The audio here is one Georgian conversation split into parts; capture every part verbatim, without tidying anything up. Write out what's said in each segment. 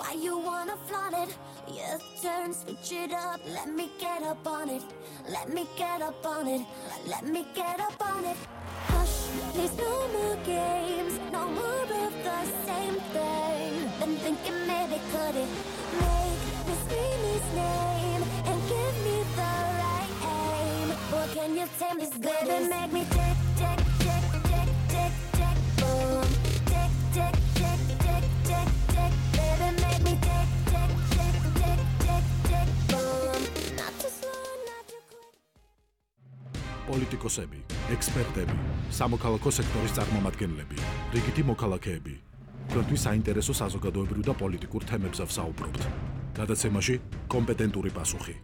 Why you wanna flaunt it? Your turn, switch it up. Let me get up on it. Let me get up on it. Let me get up on it. Hush, please no more games. No more of the same thing. Been thinking maybe could it make me scream his name and give me the right aim? Or can you tame this baby? Make me tick, tick, tick, tick, tick, tick, boom. Tick, tick, tick, tick, tick, tick, baby, make me tick, tick, tick, tick, tick, tick, boom. Not too slow, not too quick. პოლიტიკოსები, ექსპერტები, სამოქალაქო სექტორის წარმომადგენლები, რიგითი მოქალაქეები. თქვენთვის საინტერესო საზოგადოებრივ და პოლიტიკურ თემებზე ვსაუბრობთ. გადაცემაში კომპეტენტური პასუხი.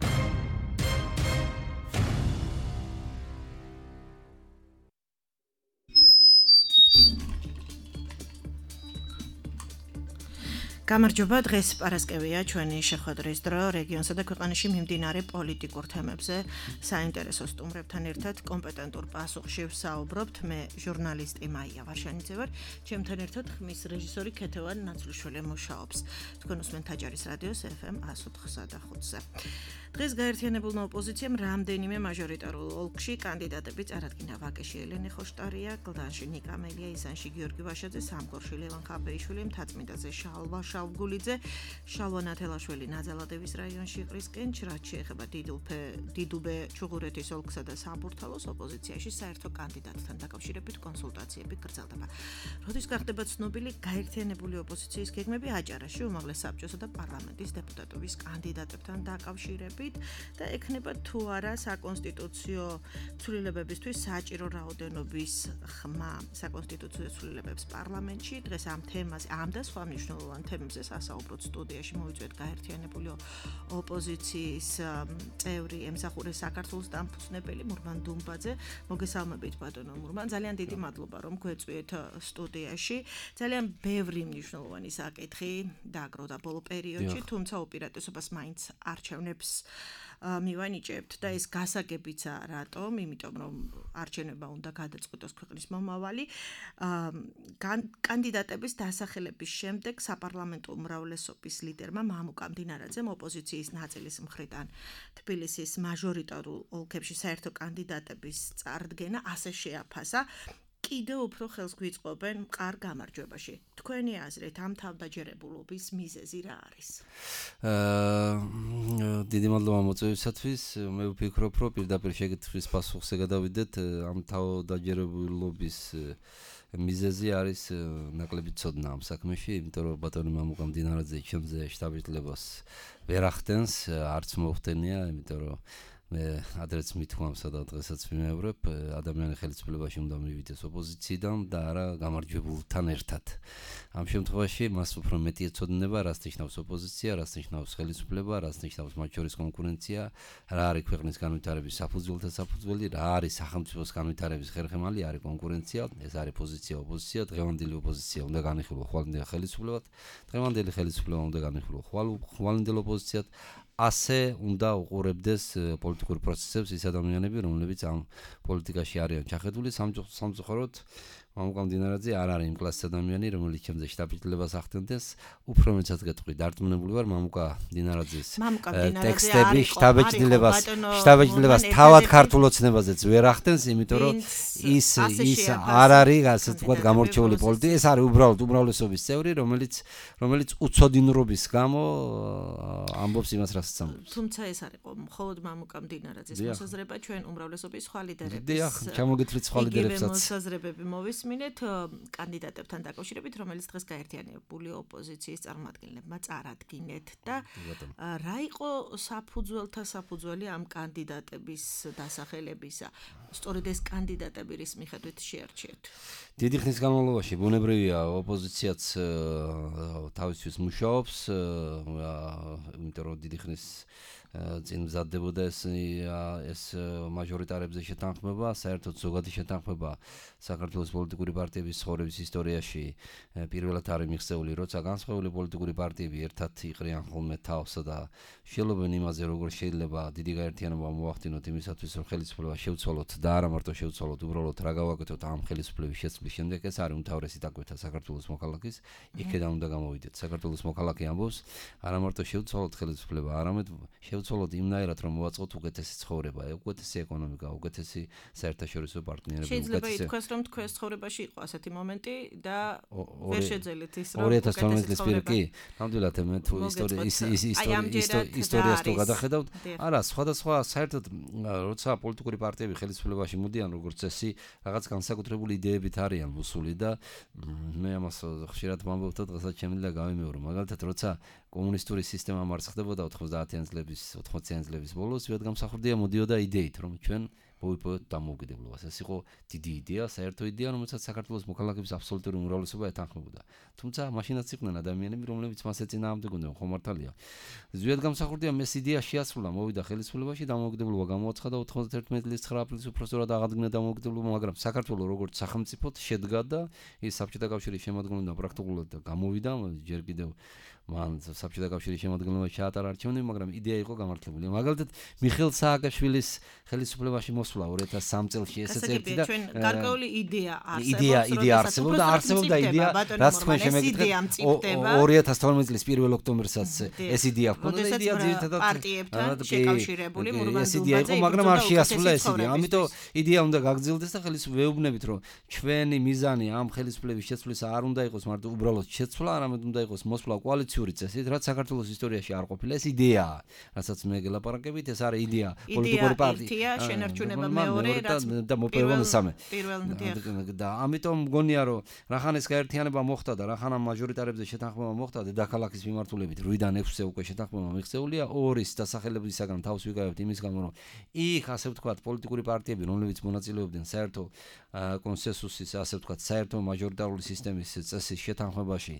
გამარჯობა, დღეს პარასკევია, ჩვენი შეხვედრის დრო რეგიონსა და ქვეყანაში მიმდინარე პოლიტიკურ თემებზე საინტერესო სტუმრებთან ერთად კომპეტენტურ პასუხში ვსაუბრობთ. მე ჟურნალისტი მაია ვარშანიძე ვარ, ჩემთან ერთად ხმის რეჟისორი ქეთევან ნაცვლიშვილი მუშაობს. თქვენ უსმენთ აჭარის რადიოს ეფ ემ εκა ოთხ და ხუთზე. დღეს გაერთიანებულმა ოპოზიციამ რამდენიმე მაჟორიტარულ ოლქში კანდიდატები წარადგინა. ვაკეში ელენე ხოშტარია, გლდანში ნიკა მელია, იზანში გიორგი ვაშაძე, სამგორში ლევან ხაბეიშვილი, მთაწმინდაზე შალვა შავგულიძე, შალვა ნათელაშვილი ნაძალადევის რაიონში ყრისკენ, რაც შეეხება დიდუბე, დიდუბე ჩუღურეთის ოლქსა და საბურთალოს ოპოზიციაში საერთო კანდიდატთან დაკავშირებით კონსულტაციები გრძელდება. როდის გახდება ცნობილი გაერთიანებული ოპოზიციის გეგმები აჭარაში უმაღლეს საბჭოსა და პარლამენტის დეპუტატობის კანდიდატებთან დაკავშირებით და ექნება თუ არა საკონსტიტუციო ცვლილებებისთვის საჭირო რაოდენობის ხმა საკონსტიტუციო ცვლილებებს პარლამენტში. დღეს ამ თემაზე, ამ და სხვა მნიშვნელოვან თემებზე სასაუბროთ სტუდიაში მოვიწვიეთ გაერთიანებული ოპოზიციის წევრი ემსახურე საქართველოს დამფუძნებელი მურმან დუმბაძე. მოგესალმებით ბატონო მურმან, ძალიან დიდი მადლობა რომ გვეწვიეთ სტუდიაში. ძალიან ბევრი მნიშვნელოვანი საკითხი დააგროვდა ბოლო პერიოდში, თუმცა უპირატესობას მაინც არჩევნებს მივანიჭებთ და ეს გასაგებიცა რატომ? იმიტომ რომ არჩევნებმა უნდა გადაწყვიტოს ქვეყნის მომავალი. კანდიდატების დასახელების შემდეგ საპარლამენტო უმრავლესობის ლიდერმა მამუკა მდინარაძემ ოპოზიციის ნაწილის მხრიდან თბილისის მაჟორიტარულ ოლქებში საერთო კანდიდატების წარდგენა ასე შეაფასა. კიდევ უფრო ხელს გვიწყობენ მყარ გამარჯვებაში. თქვენი აზრით ამ თავდაჯერებულობის მიზეზი რა არის? აა დიდი მადლობა მოწვევისათვის. მე ვფიქრობ, რომ პირდაპირ შეკითხვის პასუხზე გადავიდეთ. ამ თავდაჯერებულობის მიზეზი არის ნაკლები ცოდნა ამ საქმეში, იმიტომ რომ ბატონი მამუკა მდინარაძე ჩემზე შტაბ-ჭრილებას ვერ ახდენს, არც მოხდენია, იმიტომ რომ მე ადრეც მithქვამსა და დღესაც ვიმეორებ, ადამიანი ხელისუფლებაში უნდა მივიდეს ოპოზიციიდან და არა გამარჯვებულთან ერთად. ამ შემთხვევაში მას უფრო მეტი ეცოდინება, რას ნიშნავს ოპოზიცია, რას ნიშნავს ხელისუფლება, რას ნიშნავს მათ შორის კონკურენცია, რა არის ქვეყნის განვითარების საფუძველთა საფუძველი, რა არის სახელმწიფოს განვითარების ხერხემალი, არის კონკურენცია, ეს არის პოზიცია, ოპოზიცია, დღევანდელი ოპოზიცია უნდა განიხილო ხვალინდელ ხელისუფლებად, დღევანდელი ხელისუფლება უნდა განიხილო ხვალინდელ ოპოზიციად. ასე უნდა უყურებდეს პოლიტიკურ პროცესებს ის ადამიანები, რომლებიც ამ პოლიტიკაში არიან ჩახედული. სამწუხაროდ მამუკა მდინარაძე არ არის იმ კლასის ადამიანი, რომელიც ჩემზე შტაბ-ჭრილებას ახდენდეს. უფრო მეცად გეტყვი, დარწმუნებული ვარ მამუკა მდინარაძის ტექსტები შტაბ-ჭრილებას შტაბ-ჭრილებას თავად ქართულ ოცნებაზეც ვერ ახდენს, იმიტომ რომ ის ის არ არის ასე ვთქვათ გამორჩეული პოლიტიკა, ეს არის უბრალოდ უმრავლესობის წევრი, რომელიც რომელიც უცოდინრობის გამო ამბობს იმას, რასაც ამბობს. თუმცა ეს არის მხოლოდ მამუკა მდინარაძის მოსაზრება, ჩვენ უმრავლესობის სხვა ლიდერების. დიახ, ჩამოგეთვლით სხვა ლიდერებსაც. მოსაზრებები მოვისმინეთ კანდიდატებთან დაკავშირებით, რომელიც დღეს გაერთიანებული ოპოზიციის წარმომადგენლებმა წარადგინეთ და რა იყო საფუძველთა საფუძველი ამ კანდიდატების დასახელებისა? სწორედ ეს კანდიდატები რის მიხედვით შეარჩიეთ? დიდი ხნის განმავლობაში ბუნებრივია ოპოზიციაც თავისთვის მუშაობს, იმიტომ რომ დიდი ხნის წინ მზადდებოდა ეს ეს მაჟორიტარებზე შეთანხმება, საერთოდ ზოგადი შეთანხმება საქართველოს პოლიტიკური პარტიების ცხოვრების ისტორიაში პირველად არის მიღწეული, როცა განსხვავებული პოლიტიკური პარტიები ერთად იყრიან ხოლმე თავს და შევლობენ იმაზე, როგორ შეიძლება დიდი გაერთიანება მოახდინოთ იმისათვის, რომ ხელისუფლება შევცვალოთ და არა მარტო შევცვალოთ, უბრალოდ რა გავაკეთოთ ამ ხელისუფლების შეცვლის შემდეგ, ეს არის უმთავრესი დაკვეთა საქართველოს მოქალაქის, იქედან უნდა გამოვიდეთ. საქართველოს მოქალაქე ამბობს, არა მარტო შევცვალოთ ხელისუფლება, არამედ შევცვალოთ იმნაირად, რომ მოვაწყოთ უკეთესი ცხოვრება, უკეთესი ეკონომიკა, უკეთესი საერთაშორისო პარტნიორები, შეიძლება ითქვას, რომ თქვენს ცხოვრებაში იყო ასეთი მომენტი და ვერ შეძელით ის, რომ ორი ათას თორმეტი წლის პირ კი, ნამდვილად მე თუ ისტორიას თუ გადახედავთ, არა, სხვადასხვა საერთოდ როცა პოლიტიკური პარტიები ხელისუფლებაში მოდიან, როგორც წესი, რაღაც განსაკუთრებული იდეებით არიან მოსული და მე ამას ხშირად ვამბობ და დღესაც შემიძლია გავიმეორო. მაგალითად, როცა კომუნისტური სისტემა მარცხდებოდა ოთხმოცდაათიანი წლების, ოთხმოციანი წლების ბოლოს, ვიადგამსახურდია მოდიოდა იდეით, რომ ჩვენ მოვიპოვოთ დამოუკიდებლობას. ეს იყო დიდი იდეა, საერთო იდეა, რომელსაც საქართველოს მოქალაქეების აბსოლუტური უმრავლესობა ეთანხმებოდა. თუმცა მაშინაც იყვნენ ადამიანები, რომლებიც მას ეწინააღმდეგებდნენ, ხო მართალია. ვიადგამსახურდიამ ეს იდეა შეასრულა, მოვიდა ხელისუფლებაში, დამოუკიდებლობა გამოაცხადა ოთხმოცდაერთმეტი წლის ცხრა აპრილის უფროსწორად აღადგინა დამოუკიდებლობა, მაგრამ საქართველოს როგორც სახელმწიფოდ შედგა და ის საბჭოთა კავშირის შემადგენლობიდან პრაქტიკულად გამოვიდა, ჯერ კიდევ მან საბჭოთა კავშირის შემადგენლობაში ჩაატარა არჩევნები, მაგრამ იდეა იყო გამართლებული. მაგალითად, მიხეილ სააკაშვილის ხელისუფლებაში მოსვლა ორი ათას სამი წელს ესეც ერთი და ჩვენ გარკვეული იდეა არსებობს, იდეა იდეა არსებობს და არსებობდა იდეა, რაც თქვენ შემეგეთქვით ორი ათას თორმეტი წლის პირველ ოქტომბერსაც ეს იდეა ჰქონდა და იდეა ძირითადად პარტიებთან შეკავშირებული მურმან ეს იდეა იყო, მაგრამ არ შეასრულა ეს იდეა. ამიტომ იდეა უნდა გაგრძელდეს და ხელისუფლებეუბნებით, რომ ჩვენი მიზანი ამ ხელისუფლების შეცვლისა არ უნდა იყოს მარტო უბრალოდ შეცვლა, არამედ უნდა იყოს მოსვლა კოალიციური წესით, რაც საქართველოს ისტორიაში არ ყოფილა. ეს იდეაა, რასაც მე გელაპარაკებით, ეს არის იდეა პოლიტიკური პარტია, შენარჩუნება მეორე და მოპოვება მესამე. პირველ და ამიტომ მგონია, რომ რახან ეს გაერთიანება მოხდა და რახან ამ მაჟორიტარებზე შეთანხმება მოხდა დედაქალაქის მიმართულებით რვიდან ექვსზე უკვე შეთანხმება მიღწეულია, ორის დასახელებისაგან თავს ვიკავებთ იმის გამო, რომ იქ ასე ვთქვათ პოლიტიკური პარტიები, რომლებიც მონაწილეობდნენ საერთო კონსენსუსის, ასე ვთქვათ, საერთო მაჟორიტარული სისტემის წესის შეთანხმებაში,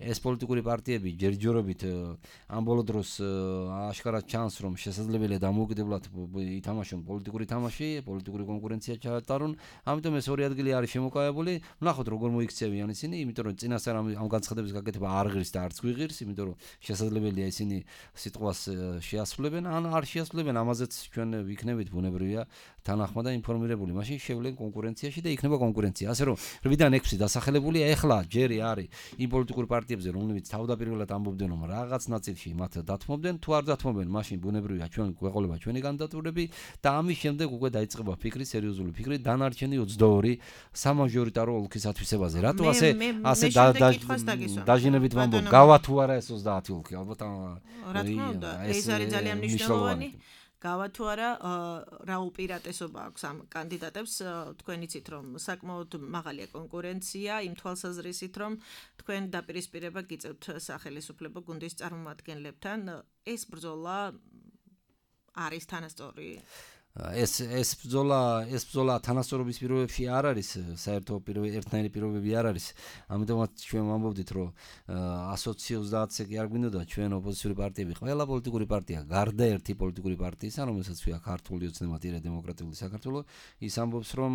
ეს პოლიტიკური პარტიები ჯერჯერობით ამ ბოლო დროს აშკარად ჩანს, რომ შესაძლებელია დამოუკიდებლად ითამაშონ პოლიტიკური თამაში, პოლიტიკური კონკურენცია ჩაატარონ. ამიტომ ეს ორი ადგილი არის შემოკავებული. ვნახოთ როგორ მოიქცევიან ისინი, იმიტომ რომ წინასწარ ამ განცხადების გაკეთება არ ღირს და არც გვიღირს, იმიტომ რომ შესაძლებელია ისინი სიტყვას შეასრულებენ, ან არ შეასრულებენ, ამაზეც ჩვენ ვიქნებით ბუნებრივია თანახმა და ინფორმირებული. მაშინ შევლენ კონკურენციაში და იქნება კონკურენცია. ასე რომ რვიდან ექვსი დასახელებულია, ეხლა ჯერი არის იმ პოლიტიკურ პარტიებზე, რომლებიც თავდაპირველად ამბობდნენ, რომ რაღაც ნაწილში მათ დათმობდნენ, თუ არ დათმობენ, მაშინ ბუნებრივია ჩვენ გვეყოლება ჩვენი კანდიდატურები და ამის შემდეგ უკვე დაიწყება ფიქრი, სერიოზული ფიქრი დანარჩენი ოცდაორი სამაჟორიტარო ოლქის ათვისებაზე. რატო ასე ასე დაჟინებით ვამბობ, გავა თუ არა ეს ოცდაათი ოლქი, ალბათ რა თქმა უნდა, ეს არის ძალიან მნიშვნელოვანი. გავა თუ არა, რა უპირატესობა აქვს ამ კანდიდატებს, თქვენ იცით, რომ საკმაოდ მაღალია კონკურენცია, იმ თვალსაზრისით, რომ თქვენ დაპირისპირება გიწევთ სახელისუფლებო გუნდის წარმომადგენლებთან, ეს ბრძოლა არის თანასწორი? ეს ეს ბრძოლა ეს ბრძოლა თანასწორობის პირობებში არ არის, საერთო ერთნაირი პირობები არ არის. ამიტომაც ჩვენ ვამბობდით, რომ ასოცი ოცდაათზე კი არ გვინდოდა ჩვენ ოპოზიციური პარტიები, ყველა პოლიტიკური პარტია, გარდა ერთი პოლიტიკური პარტიისა, რომელსაც ქვია ქართული ოცნებადია დემოკრატიული საქართველო, ის ამბობს, რომ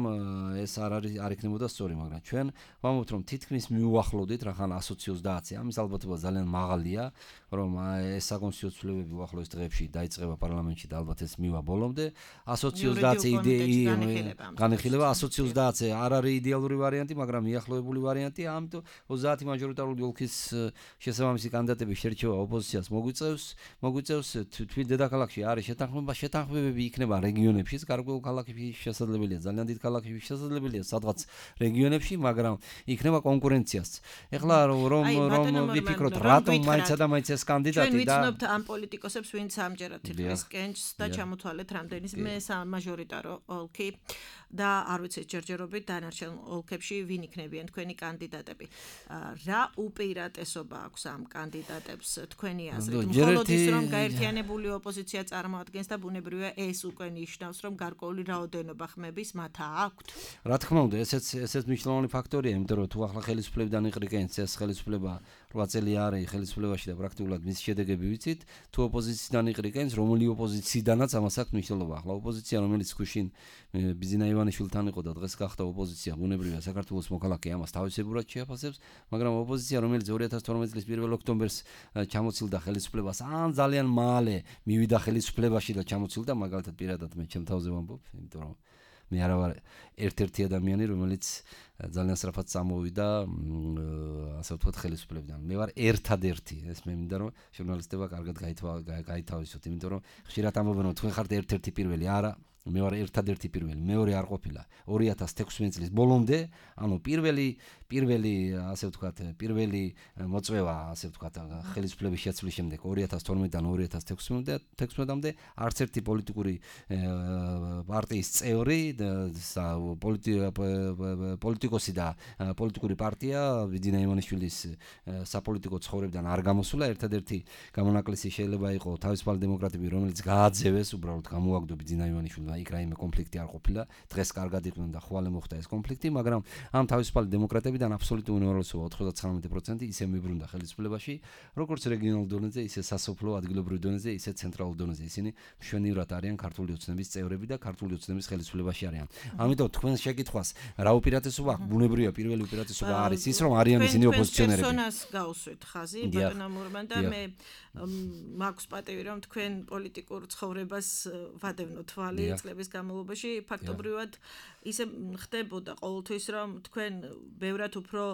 ეს არ არის არ იქნებოდა სწორი, მაგრამ ჩვენ ვამბობთ, რომ თითქმის მიუახლოვდით, რახან ასოცი ოცდაათზე, ამის ალბათობა ძალიან მაღალია, რომ ეს საკონსტიტუციო ცვლილებები უახლოეს დღეებში დაიწყება პარლამენტში და ალბათ ეს მივა ბოლომდე. ასოცი ოცდაათზე განიხილება, ასოცი ოცდაათზე არ არის იდეალური ვარიანტი, მაგრამ მიახლოებული ვარიანტია. ამიტომ ოცდაათი მაჟორიტარული ოლქის შესაბამისი კანდიდატების შერჩევა ოპოზიციას მოგვიწევს, მოგვიწევს თვით დედაქალაქში არის შეთანხმება, შეთანხმებები იქნება რეგიონებში, გარკვეულ ქალაქებში შესაძლებელია, ძალიან დიდ ქალაქებში შესაძლებელია, სადღაც რეგიონებში, მაგრამ იქნება კონკურენციაც. ეხლა რომ რომ ვიფიქროთ, რატომ მაინცა და მაინც ეს კანდიდატი და ჩვენ ვიცნობთ ამ პოლიტიკოსებს, ვინც ამჯერად თითქმის კენჭს და ჩამოთვალეთ რამდენი მაჟორიტარო ოლქი და არ ვიცით ჯერჯერობით დანარჩენ ოლქებში ვინ იქნებიან თქვენი კანდიდატები. რა უპირატესობა აქვს ამ კანდიდატებს თქვენი აზრით? მხოლოდ ის რომ გაერთიანებული ოპოზიცია წარმოადგენს და ბუნებრივია ეს უკვე ნიშნავს რომ გარკვეული რაოდენობა ხმების მათ აქვთ. რა თქმა უნდა, ესეც ესეც მნიშვნელოვანი ფაქტორია, იმიტომ რომ თუ ახლა ხელისუფლებიდან იყრიკენს ეს ხელისუფლება რვა წელი არის ხელისუფლებაში და პრაქტიკულად მის შედეგები ვიცით, თუ ოპოზიციიდან იყრიკენს, რომელი ოპოზიციიდანაც ამას აქვს მნიშვნელობა. ახლა ოპოზიცია, რომელიც გუშინ ბიზინა ივანიშვილთან იყო და დღეს გახდა ოპოზიცია, ბუნებრივია საქართველოს მოქალაქე ამას თავისებურად შეაფასებს, მაგრამ ოპოზიცია, რომელიც ორი ათას თორმეტი წლის პირველ ოქტომბერს ჩამოცილდა ხელისუფლებას, ან ძალიან მალე მივიდა ხელისუფლებაში და ჩამოცილდა, მაგალითად პირადად მე ჩემ თავზე ვამბობ, იმიტომ რომ მე არა ვარ ერთ-ერთი ადამიანი, რომელიც ძალიან სწრაფად წამოვიდა, ასე ვთქვათ, ხელისუფლებიდან. მე ვარ ერთადერთი, ეს მე მინდა რომ ჟურნალისტებმა კარგად გაითავისოთ, იმიტომ რომ ხშირად ამბობენ რომ თქვენ ხართ ერთ-ერთი პირველი, არა, მე ვარ ერთადერთი პირველი, მეორე არ ყოფილა. ორი ათას თექვსმეტი წლის ბოლომდე, ანუ პირველი პირველი, ასე ვთქვათ, პირველი მოწვევა, ასე ვთქვათ, ხელისუფლების შეცვლის შემდეგ ორი ათას თორმეტიდან ორი ათას თექვსმეტამდე არც ერთი პოლიტიკური პარტიის წევრი, პოლიტიკოსი და პოლიტიკური პარტია ბიძინა ივანიშვილის საპოლიტიკო ცხოვრებიდან არ გამოსულა. ერთადერთი გამონაკლისი შეიძლება იყოს თავისუფალი დემოკრატები, რომელიც გააძევეს, უბრალოდ გამოაგდო ბიძინა ივანიშვილმა, იქ რაიმე კონფლიქტი არ ყოფილა. დღეს კარგად იყვნენ და ხვალე მოხდა ეს კონფლიქტი, მაგრამ ამ თავისუფალი დემოკრატებიდან აბსოლუტური უმრავლესობა ოცდათხმეტ პროცენტი ისე მიბრუნდა ხელისუფლებაში, როგორც რეგიონულ დონეზე, ისე სასოფლო ადგილობრივ დონეზე, ისე ცენტრალურ დონეზე. ისინი მშვენივრად არიან ქართული ოცნების წევრები და ქართული ოცნების ხელისუფლებაში არიან. ამიტომ თქვენ შეკითხვას რა უპირატესობა აქვს? ბუნებრივია, პირველი უპირატესობა არის ის, რომ არიან ისინი ოპოზიციონერები. თქვენ პერსონას გავუსვით ხაზი, ბატონო მურმან და მე მაქვს პატივი რომ თქვენ პოლიტიკურ ცხოვრებას ვადევნო თვალი წლების განმავლობაში, ფაქტობრივად ისე ხდებოდა ყოველთვის რომ თქვენ ბევრად უფრო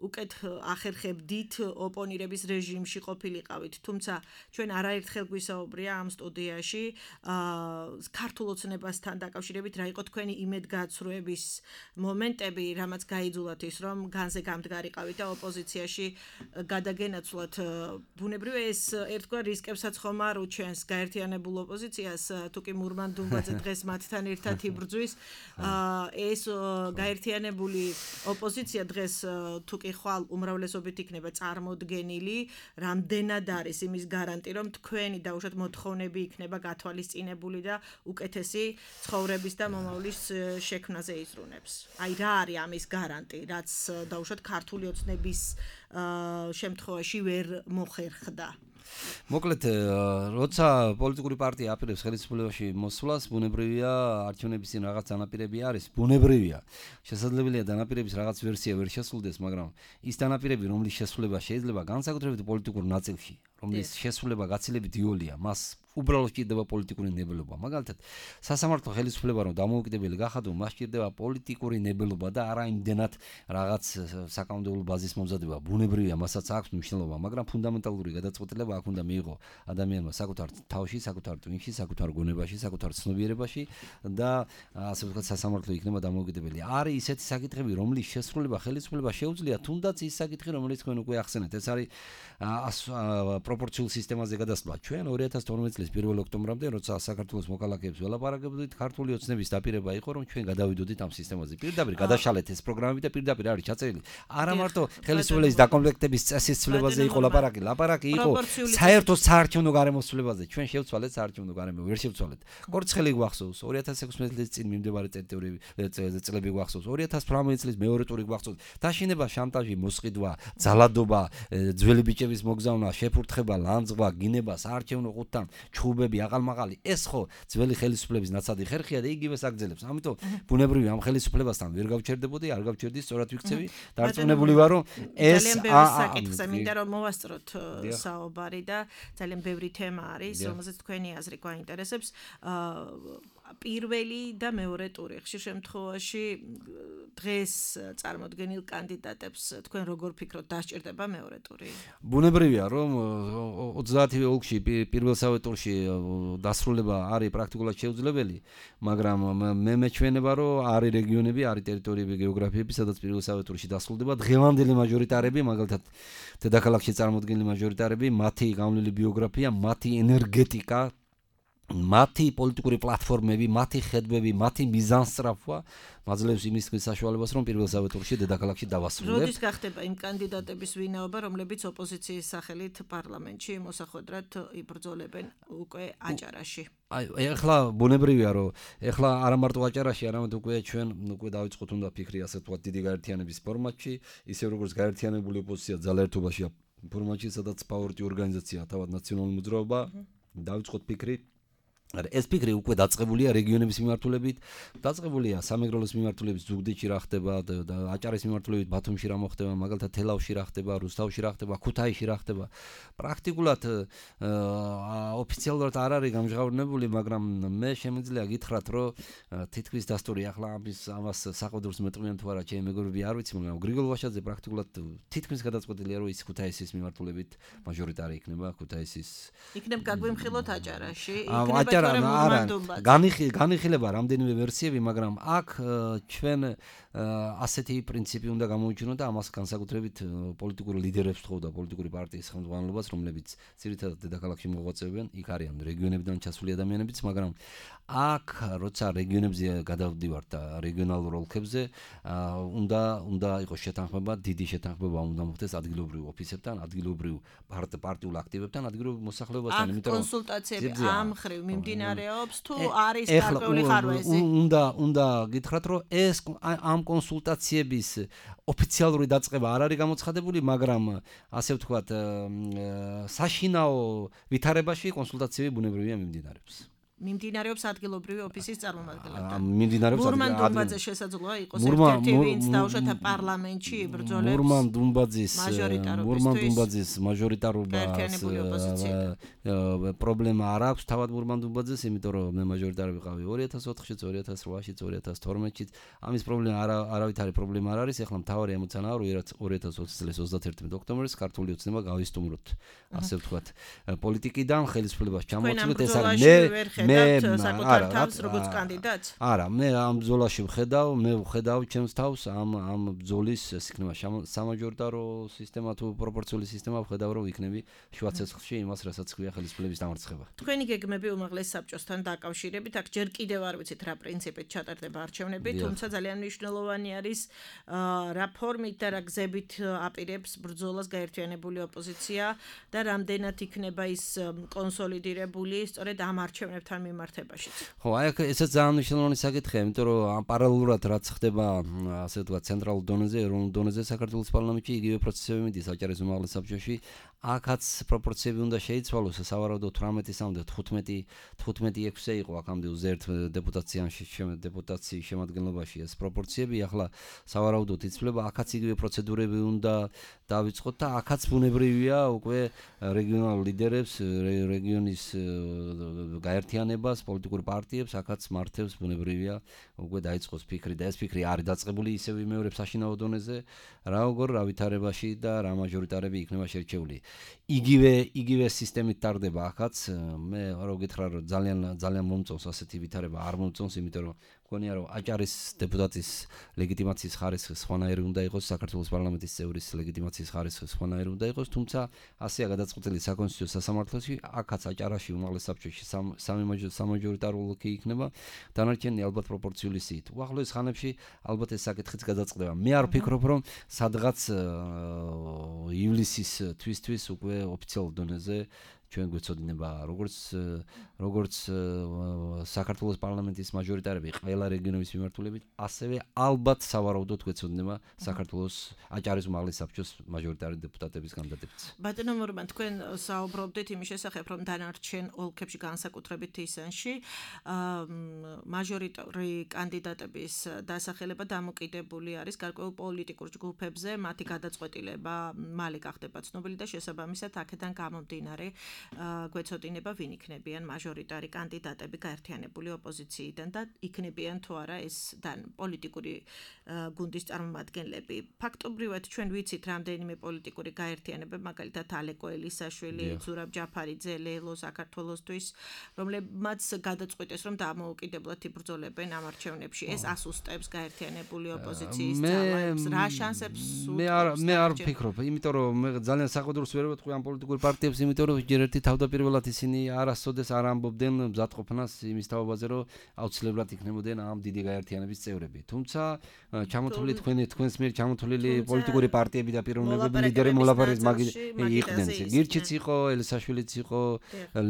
უკეთ ახერხებდით ოპონირების რეჟიმში ყოფილიყავით, თუმცა ჩვენ არაერთხელ გვისაუბრია ამ სტუდიაში ქართულ ოცნებასთან დაკავშირებით რა იყო თქვენი იმედგაცრუების მომენტები, რამაც გაიძულათ ის რომ განზე გამდგარიყავით და ოპოზიციაში გადაგენაცვლათ. ბუნებრივია ეს ერთგვარ რისკებსაც ხომ არ უჩენს გაერთიანებულ ოპოზიციას, თუკი მურმან დუმბაძე დღეს მათთან ერთად იბრძვის, ეს გაერთიანებული ოპოზიცია დღეს თუკი ხვალ უმრავლესობით იქნება წარმოდგენილი, რამდენად არის იმის გარანტი, რომ თქვენი დაუშვათ მოთხოვნები იქნება გათვალისწინებული და უკეთესი ცხოვრების და მომავლის შექმნაზე იზრუნებს. აი რა არის ამის გარანტი, რაც დაუშვათ ქართული ოცნების შემთხვევაში ვერ მოხერხდა? მოკლედ, როცა პოლიტიკური პარტია აპირებს ხელისუფლებაში მოსვლას, ბუნებრივია არჩევნების წინ რაღაც დანაპირები არის, ბუნებრივია. შესაძლებელია დანაპირების რაღაც ვერსია ვერ შესრულდეს, მაგრამ ის დანაპირები, რომლის შესრულება შეიძლება განსაკუთრებით პოლიტიკურ ნაწილში, რომლის შესრულება გაცილებით იოლია, მას უბრალოდ ჭირდება პოლიტიკური ნებელობა. მაგალითად, სასამართლო ხელისუფლება რომ დამოუკიდებელი გახადო, მას ჭირდება პოლიტიკური ნებელობა და არა იმდენად რაღაც საკანონმდებლო ბაზის მომზადება. ბუნებრივია, მასაც აქვს მნიშვნელობა, მაგრამ ფუნდამენტალური გადაწყვეტილება აქ უნდა მიიღო ადამიანმა საკუთარ თავში, საკუთარ ტვინში, საკუთარ გონებაში, საკუთარ ცნობიერებაში და ასე ვთქვათ, სასამართლო იქნება დამოუკიდებელი. არის ისეთი საკითხები, რომლის შესრულება ხელისუფლება შეუძლია, თუნდაც ის საკითხი, რომელიც თქვენ უკვე ახსენეთ. ეს არის პროპორციულ სისტემაზე გადასვლა. ჩვენ ორი ათას თორმეტი წლის პირველ ოქტომბრამდე, როცა საქართველოს მოკალაკეებს ველაპარაკებდით, ქართული ოცნების დაპირება იყო, რომ ჩვენ გადავიდოდით ამ სისტემაზე. პირდაპირ გადაშალეთ ეს პროგრამები და პირდაპირ არის ჩაწერილი. არა მარტო ხელისუფლების დაკომპლექტების წესის ცვლილებაზე იყო ლაპარაკი, ლაპარაკი იყო საერთო საარჩევნო გარემოსვლებაზე. ჩვენ შევცვალეთ საარჩევნო გარემო, ვერ შევცვალეთ. კორცხელი გვახსოვს, ორი ათას ექვსმეტი წლის წინ მიმდებარე წლები გვახსოვს, ორი ათას თვრამეტი წლის მეორე ტური გვახსოვს. დაშინება, შანტაჟი, მოსყიდვა, ძალადობა, ძველი ბიჭების მოგზავნა, შეფურთხება, ლანძღვა, გინება, საარჩევნო ყუთთან, ჩხუბები, აყალმაღალი, ეს ხო ძველი ხელისუფლების ნაცადი ხერხია და იგივეს აგრძელებს. ამიტომ ბუნებრივია ამ ხელისუფლებასთან ვერ გავჩერდებოდი, არ გავჩერდი, სწორად ვიქცევი. დარწმუნებული ვარ, რომ ეს ძალიან ბევრი საკითხზე მინდა რომ მოვასწროთ საუბარი და ძალიან ბევრი თემა არის, რომელზეც თქვენი აზრი გვაინტერესებს. პირველი და მეორე ტური ხშირ შემთხვევაში დღეს წარმოდგენილ კანდიდატებს თქვენ როგორ ფიქრობთ, დასჭირდება მეორე ტური? ბუნებრივია, რომ ოცდაათივე ოლქში პირველსავე ტურში დასრულება არის პრაქტიკულად შეუძლებელი, მაგრამ მე მეჩვენება, რომ არის რეგიონები, არის ტერიტორიები, გეოგრაფიები, სადაც პირველსავე ტურში დასრულდება დღევანდელი მაჟორიტარები, მაგალითად დედაქალაქში წარმოდგენილი მაჟორიტარები, მათი გავლილი ბიოგრაფია, მათი ენერგეტიკა, მათი პოლიტიკური პლატფორმები, მათი ხედვები, მათი მიზანსწრაფვა მაძლევს იმისთვის საშუალებას, რომ პირველსავე ტურში დედაქალაქში დავასრულებ. როდის გახდება იმ კანდიდატების ვინაობა, რომლებიც ოპოზიციის სახელით პარლამენტში მოსახვედრად იბრძოლებენ უკვე აჭარაში? აი, ეხლა ბუნებრივია, რომ ეხლა არა მარტო აჭარაში, არამედ უკვე ჩვენ უკვე დავიწყოთ უნდა ფიქრი ასე თქვა დიდი გაერთიანების ფორმატში, ისე როგორც გაერთიანებული ოპოზიცია ძალაერთობაშია ფორმატში, სადაც პაუერტი ორგანიზაცია, თავად ნაციონალური მოძრაობა, დავიწყოთ ფიქრი. ეს ფიქრი უკვე დაწყებულია რეგიონების მიმართულებით, დაწყებულია სამეგრელოს მიმართულებით ზუგდიდში რა ხდება, აჭარის მიმართულებით ბათუმში რა მოხდება, მაგალითად თელავში რა ხდება, რუსთავში რა ხდება, ქუთაისში რა ხდება. პრაქტიკულად ოფიციალურად არ არის გამჟღავნებული, მაგრამ მე შემიძლია გითხრათ, რომ თითქმის დასტური ახლა ამის ამას საყდურს მეტყვიან თუ არა ჩემი მეგობრები არ ვიცი, მაგრამ გრიგოლ ვაშაძე პრაქტიკულად თითქმის გადაწყვეტილია, რომ ის ქუთაისის მიმართულებით მაჟორიტარი იქნება, ქუთაისის იქნებ გაგვიმხილოთ აჭარაში, იქნება არა, განიხილება რამდენიმე ვერსიები, მაგრამ აქ ჩვენ ასეთი პრინციპი უნდა გამოვიჩინოთ და ამას განსაკუთრებით პოლიტიკურ ლიდერებს თხოვდა პოლიტიკური პარტიის ხელმძღვანელობას, რომლებიც ძირითადად დედაქალაქში მოღვაწეობენ, იქ არიან რეგიონებიდან ჩასული ადამიანებიც, მაგრამ აქ როცა რეგიონებზე გადავდივართ და რეგიონალურ ოლქებზე, უნდა უნდა იყოს შეთანხმება, დიდი შეთანხმება უნდა მოხდეს ადგილობრივ ოფისებთან, ადგილობრივ პარტიულ აქტივებთან, ადგილობრივ მოსახლეობასთან, იმიტომ რომ კონსულტაციები ამ ხრივ მიმდინარეობს თუ არის გარკვეული ხარვეზი. უნდა უნდა გითხრათ, რომ ეს ამ კონსულტაციების ოფიციალური დაწყება არ არის გამოცხადებული, მაგრამ ასე ვთქვათ, საშინაო ვითარებაში კონსულტაციები ბუნებრივია მიმდინარეობს. მიმდინარეობს ადგილობრივი ოფისის წარმომადგენლებთან. მიმდინარეობს მურმან დუმბაძე შესაძლოა იყოს ერთ-ერთი ვინც დაუშვათ პარლამენტში იბრძოლებს. მურმან დუმბაძის მურმან დუმბაძის მაჟორიტარობას პრობლემა არ აქვს თავად მურმან დუმბაძეს, იმიტომ რომ მე მაჟორიტარი ვიყავი ორი ათას ოთხშიც, ორი ათას რვაშიც, ორი ათას თორმეტშიც. ამის პრობლემა არა არავითარი პრობლემა არ არის. ეხლა მთავარი ემოციანაა, რომ ორი ათას ოცი წლის ოცდაათი ოქტომბერს ქართული ოცნება გავისტუმროთ, ასე ვთქვათ, პოლიტიკიდან ხელისუფლებას ჩამოვწვით. ეს არის მე მე საკუთარ თავს როგორც კანდიდატს? არა, მე ამ ბრძოლაში ვხედავ, მე ვხედავ ჩემს თავს ამ ამ ბრძოლის ეს იქნება სამაჟორიტარო სისტემა თუ პროპორციული სისტემა, ვხედავ რომ იქნები შუა ცეცხლში იმას, რასაც ქვია ხელისუფლების დამარცხება. თქვენი გეგმები უმაღლეს საბჭოსთან დაკავშირებით, აქ ჯერ კიდევ არ ვიცით რა პრინციპით ჩატარდება არჩევნები, თუმცა ძალიან მნიშვნელოვანი არის რა ფორმით და რა გზებით აპირებს ბრძოლას გაერთიანებული ოპოზიცია და რამდენად იქნება ის კონსოლიდირებული სწორედ ამ არჩევნებთან მიმართებაში. ხო, აი ესეც ძალიან მნიშვნელოვანი საკითხია, იმიტომ რომ პარალელურად რაც ხდება, ასე ვთქვათ, ცენტრალურ დონეზე, ეროვნულ დონეზე საქართველოს პარლამენტში იგივე პროცესები მიდის აჭარის უმაღლეს საბჭოში. აქაც პროპორციები უნდა შეიცვალოს, სავარაუდოდ თვრამეტისამდე თხუთმეტი თხუთმეტი ექვსზე იყო აქამდე უზერთ დეპუტაციაში დეპუტაციის შემადგენლობაში ეს პროპორციები, ახლა სავარაუდოდ იცვლება, აქაც იგივე პროცედურები უნდა დავიწყოთ და აქაც ბუნებრივია უკვე რეგიონალურ ლიდერებს, რეგიონის გაერთიანებას, პოლიტიკურ პარტიებს, აქაც მართებს ბუნებრივია უკვე დაიწყოს ფიქრი და ეს ფიქრი არის დაწყებული ისევ იმეორებს საშინაო დონეზე, რა როგორ რა ვითარებაში და რა მაჟორიტარები იქნება შერჩეული. იგივე იგივე სისტემით ტარდება ახაც, მე რა გითხრა რომ ძალიან ძალიან მომწონს ასეთი ვითარება, არ მომწონს, იმიტომ რომ მგონია რომ აჭარის დეპუტატის ლეგიტიმაციის ხარისხი სხვანაირი უნდა იყოს, საქართველოს პარლამენტის წევრის ლეგიტიმაციის ხარისხი სხვანაირი უნდა იყოს, თუმცა ასეა გადაწყვეტილი საკონსტიტუციო სასამართლოში, აქაც აჭარაში უმაღლეს საბჭოში სამი სამაჟორიტარო ოლქი იქნება, დანარჩენი ალბათ პროპორციული სიით. უახლოეს ხანებში ალბათ ეს საკითხიც გადაწყდება. მე არ ვფიქრობ, რომ სადღაც ივლისის თვისთვის უკვე ოფიციალურ დონეზე ჩვენ გვეცოდინება როგორც როგორც საქართველოს პარლამენტის მაჟორიტარები ყველა რეგიონების მიმართულებით, ასევე ალბათ სავარაუდოდ გვეცოდინება საქართველოს აჭარის უმაღლეს საბჭოს მაჟორიტარი დეპუტატების კანდიდატებიც. ბატონო მურმან, თქვენ საუბრობდით იმის შესახებ, რომ დანარჩენ ოლქებში განსაკუთრებით თისანში მაჟორიტარი კანდიდატების დასახელება დამოკიდებული არის გარკვეულ პოლიტიკურ ჯგუფებზე, მათი გადაწყვეტილება მალე გახდება ცნობილი და შესაბამისად აქედან გამომდინარე გვეცოდინება ვინ იქნებიან მაჟორიტარი კანდიდატები გაერთიანებული ოპოზიციიდან და იქნებიან თუ არა ეს პოლიტიკური გუნდის წარმომადგენლები. ფაქტობრივად ჩვენ ვიცით რამდენიმე პოლიტიკური გაერთიანება, მაგალითად ალეკო ელისაშვილი, ზურაბ ჯაფარიძე, ლელო საქართველოსთვის, რომლებმაც გადაწყვიტეს რომ დამოუკიდებლად იბრძოლებენ ამ არჩევნებში. ეს ასუსტებს გაერთიანებული ოპოზიციის ძალებს, რა შანსებს მე არ მე არ ვფიქრობ, იმიტომ რომ მე ძალიან საყდურს ვერ ვეთქვი ამ პოლიტიკურ პარტიებს, იმიტომ რომ ჯერ ერთი თავდაპირველად ისინი არასოდეს არ ამბობდნენ მზადყოფნას იმის თაობაზე, რომ აუცილებლად იქნებოდნენ ამ დიდი გაერთიანების წევრები. თუმცა ჩამოთვლილი თქვენი თქვენს მიერ ჩამოთვლილი პოლიტიკური პარტიები და პიროვნებები ლიდერი მოლაპარაკების მაგი იყვნენ. გირჩიც იყო, ელისაშვილიც იყო,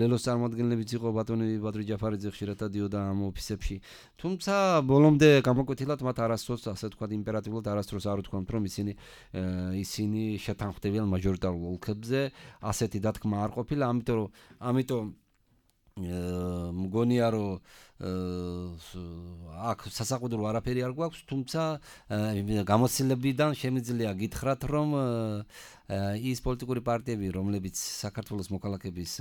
ლელოს წარმომადგენლებიც იყო, ბატონი ბადრი ჯაფარიძე ხშირად დადიოდა ამ ოფისებში. თუმცა ბოლომდე გამოკვეთილად მათ არასდროს ასე ვთქვათ იმპერატიულად არასდროს არ უთქვამთ რომ ისინი ისინი შეთანხმდებიან მაჟორიტარულ ოლქებზე, ასეთი დათქმა არ ყოფილა, ამიტომ რომ ამიტომ მგონია რომ აქ სასაყუდრო არაფერი არ გვაქვს, თუმცა გამოცდილებიდან შემიძლია გითხრათ რომ ის პოლიტიკური პარტიები, რომლებიც საქართველოს მოქალაქების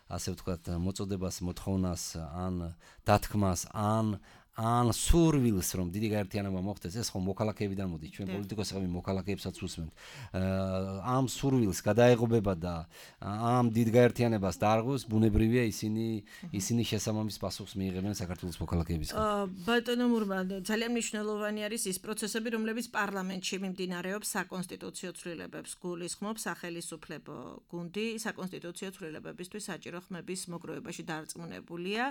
ასე ვთქვათ მოწოდებას, მოთხოვნას ან დათქმას ან ან სურვილს რომ დიდი გაერთიანება მოხდეს, ეს ხომ მოქალაქეებიდან მოდის, ჩვენ პოლიტიკოსები მოქალაქეებსაც უსმენთ. ამ სურვილს გადაეღობება და ამ დიდ გაერთიანებას დაარღვევს, ბუნებრივია ისინი ისინი შესაბამის პასუხს მიიღებენ საქართველოს მოქალაქეებისგან. ბატონო მურმან, ძალიან მნიშვნელოვანი არის ის პროცესები, რომლებიც პარლამენტში მიმდინარეობს საკონსტიტუციო ცვლილებებს გულისხმობს სახელისუფლებო გუნდი, საკონსტიტუციო ცვლილებებისთვის საჭირო ხმების მოგროვებაში დარწმუნებულია.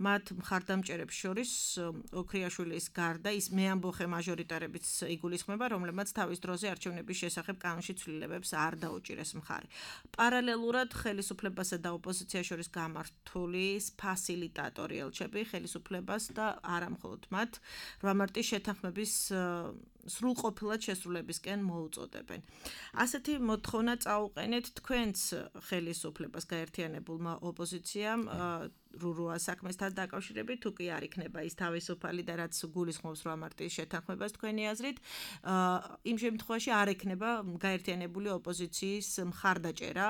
მათ მხარდამჭერებს შორის ოქრიაშვილის გარდა ის მე ამბოხე მაჟორიტარებიც იგულისხმება, რომლებმაც თავის დროზე არჩევნების შესახებ კანონში ცვლილებებს არ დაუჭირეს მხარი. პარალელურად ხელისუფლებასა და ოპოზიციას შორის გამართული ფასილიტატორი ელჩები ხელისუფლებას და არა მხოლოდ მათ რვა მარტის შეთანხმების სრულყოფილად შესრულებისკენ მოუწოდებენ. ასეთი მოთხოვნა წაუყენეთ თქვენს ხელისუფლებას გაერთიანებულმა ოპოზიციამ რურუა საქმესთან დაკავშირებით, თუ კი არ იქნება ის თავისუფალი და რაც გულისხმობს რვა მარტის შეთანხმებას თქვენი აზრით, იმ შემთხვევაში არ ექნება გაერთიანებული ოპოზიციის მხარდაჭერა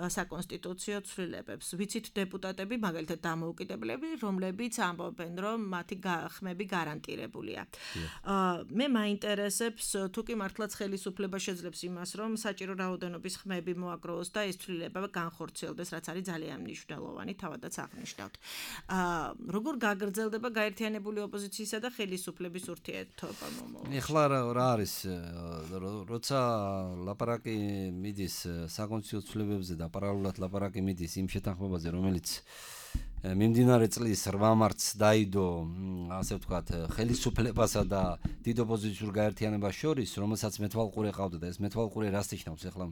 საკონსტიტუციო ცვლილებებს. ვიცით დეპუტატები, მაგალითად დამოუკიდებლები, რომლებიც ამბობენ, რომ მათი ხმები გარანტირებულია. მე მაინტერესებს, თუ კი მართლაც ხელისუფლება შეძლებს იმას, რომ საჭირო რაოდენობის ხმები მოაგროვოს და ეს ცვლილება განხორციელდეს, რაც არის ძალიან მნიშვნელოვანი, თავადაც აღნიშნავ. როგორ გაგრძელდება გაერთიანებული ოპოზიციისა და ხელისუფლების ურთიერთობა მომავალში? ეხლა რა არის, როცა ლაპარაკი მიდის საკონსტიტუციო ცვლილებებზე და პარალელურად ლაპარაკი მიდის იმ შეთანხმებაზე, რომელიც მიმდინარე წლის რვა მარტს დაიდო, ასე ვთქვათ, ხელისუფლებასა და დიდ ოპოზიციურ გაერთიანებას შორის, რომელსაც მეთვალყურე ყავდა და ეს მეთვალყურე რას ნიშნავს? ეხლა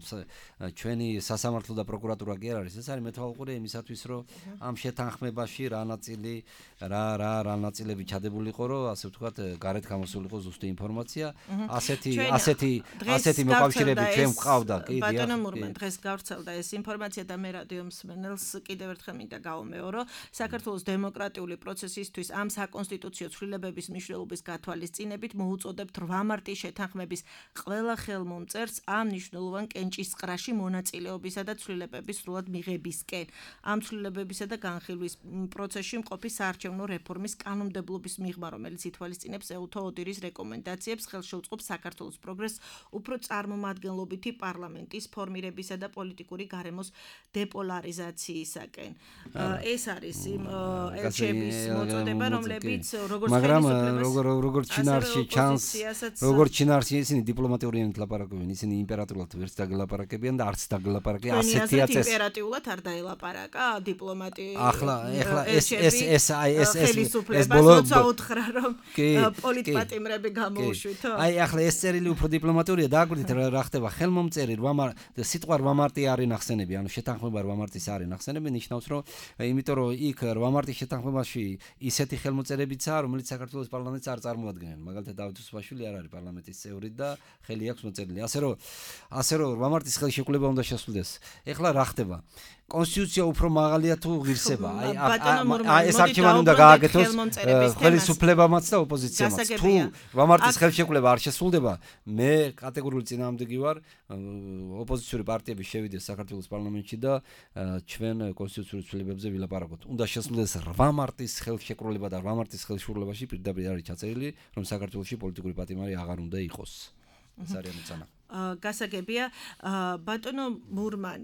ჩვენი სასამართლო და პროკურატურა კი არ არის, ეს არის მეთვალყურე იმისათვის, რომ ამ შეთანხმებაში რა ნაწილი, რა რა რა ნაწილები ჩადებულიყო, რომ ასე ვთქვათ, გარეთ გამოსულიყო ზუსტი ინფორმაცია, ასეთი ასეთი ასეთი მოკავშირეები ჩვენ გვყავდა, კი, დიახ. ბატონო მურმან, დღეს გავრცელდა ეს ინფორმაცია და მე რადიო მსმენელს კიდევ ერთხელ მინდა გავუმეორო, საქართველოს დემოკრატიული პროცესისთვის ამ საკონსტიტუციო ცვლილებების მნიშვნელობის გათვალისწინებით მოუწოდებთ რვა მარტის შეთანხმების ყველა ხელმომწერს ამ მნიშვნელოვან კენჭისყრაში მონაწილეობისა და ცვლილებების სრულად მიღებისკენ. ამ ცვლილებებისა და განხილვის პროცესში მყოფი საარჩევნო რეფორმის კანონმდებლობის მიღმა, რომელიც ითვალისწინებს ეუთო ოდირის რეკომენდაციებს, ხელს შეუწყობს საქართველოს პროგრესს უფრო წარმომადგენლობითი პარლამენტის ფორმირებისა და პოლიტიკური გარემოს დეპოლარიზაციისაკენ. ეს არის იმ ელჩების მოწოდება, რომლებიც როგორც ხელისუფლებას, როგორც ჩინარში ჩანს, როგორც ჩინარში ისინი დიპლომატიურიანით ლაპარაკობენ, ისინი იმპერატორულად ვერც დაგლაპარაკებიან და არც დაგლაპარაკებიან ასეთია წესი. იმპერატიულად არ დაელაპარაკა დიპლომატი. ახლა ახლა ეს ეს ეს აი ეს ეს ეს ბოლო უთხრა რომ პოლიტპატიმრები გამოუშვითო. აი ახლა ეს წერილი უფრო დიპლომატურია, დააკვირდით რა ხდება ხელმომწერი რვა მარტი, სიტყვა რვა მარტი არის ნახსენები, ანუ შეთანხმება რვა მარტის არის ნახსენები, ნიშნავს რომ იმიტომ რომ იქ რვა მარტის შეთანხმებაში ისეთი ხელმოწერებიცაა, რომელიც საქართველოს პარლამენტს არ წარმოადგენენ. მაგალითად დავით უსუპაშვილი არ არის პარლამენტის წევრი და ხელი აქვს მოწერილი. ასე რომ ასე რომ რვა მარტის ხელშეკრულება უნდა შესრულდეს. ეხლა რა ხდება? კონსტიტუცია უფრო მაღალია თუ ღირსება. აი ეს არჩევანი უნდა გააკეთოს ხელისუფლებამაც და ოპოზიციამაც. თუ რვა მარტის ხელშეკრულება არ შესრულდება, მე კატეგორიული წინააღმდეგი ვარ ოპოზიციური პარტიების შევიდეს საქართველოს პარლამენტში და ჩვენ კონსტიტუციური ცვლილებებზე ვილაპარაკოთ. უნდა შესრულდეს რვა მარტის ხელშეკრულება და რვა მარტის ხელშეკრულებაში პირდაპირ არის ჩაწერილი, რომ საქართველოში პოლიტიკური პატიმარი აღარ უნდა იყოს. ეს არის ამოცანა. გასაგებია, ბატონო მურმან,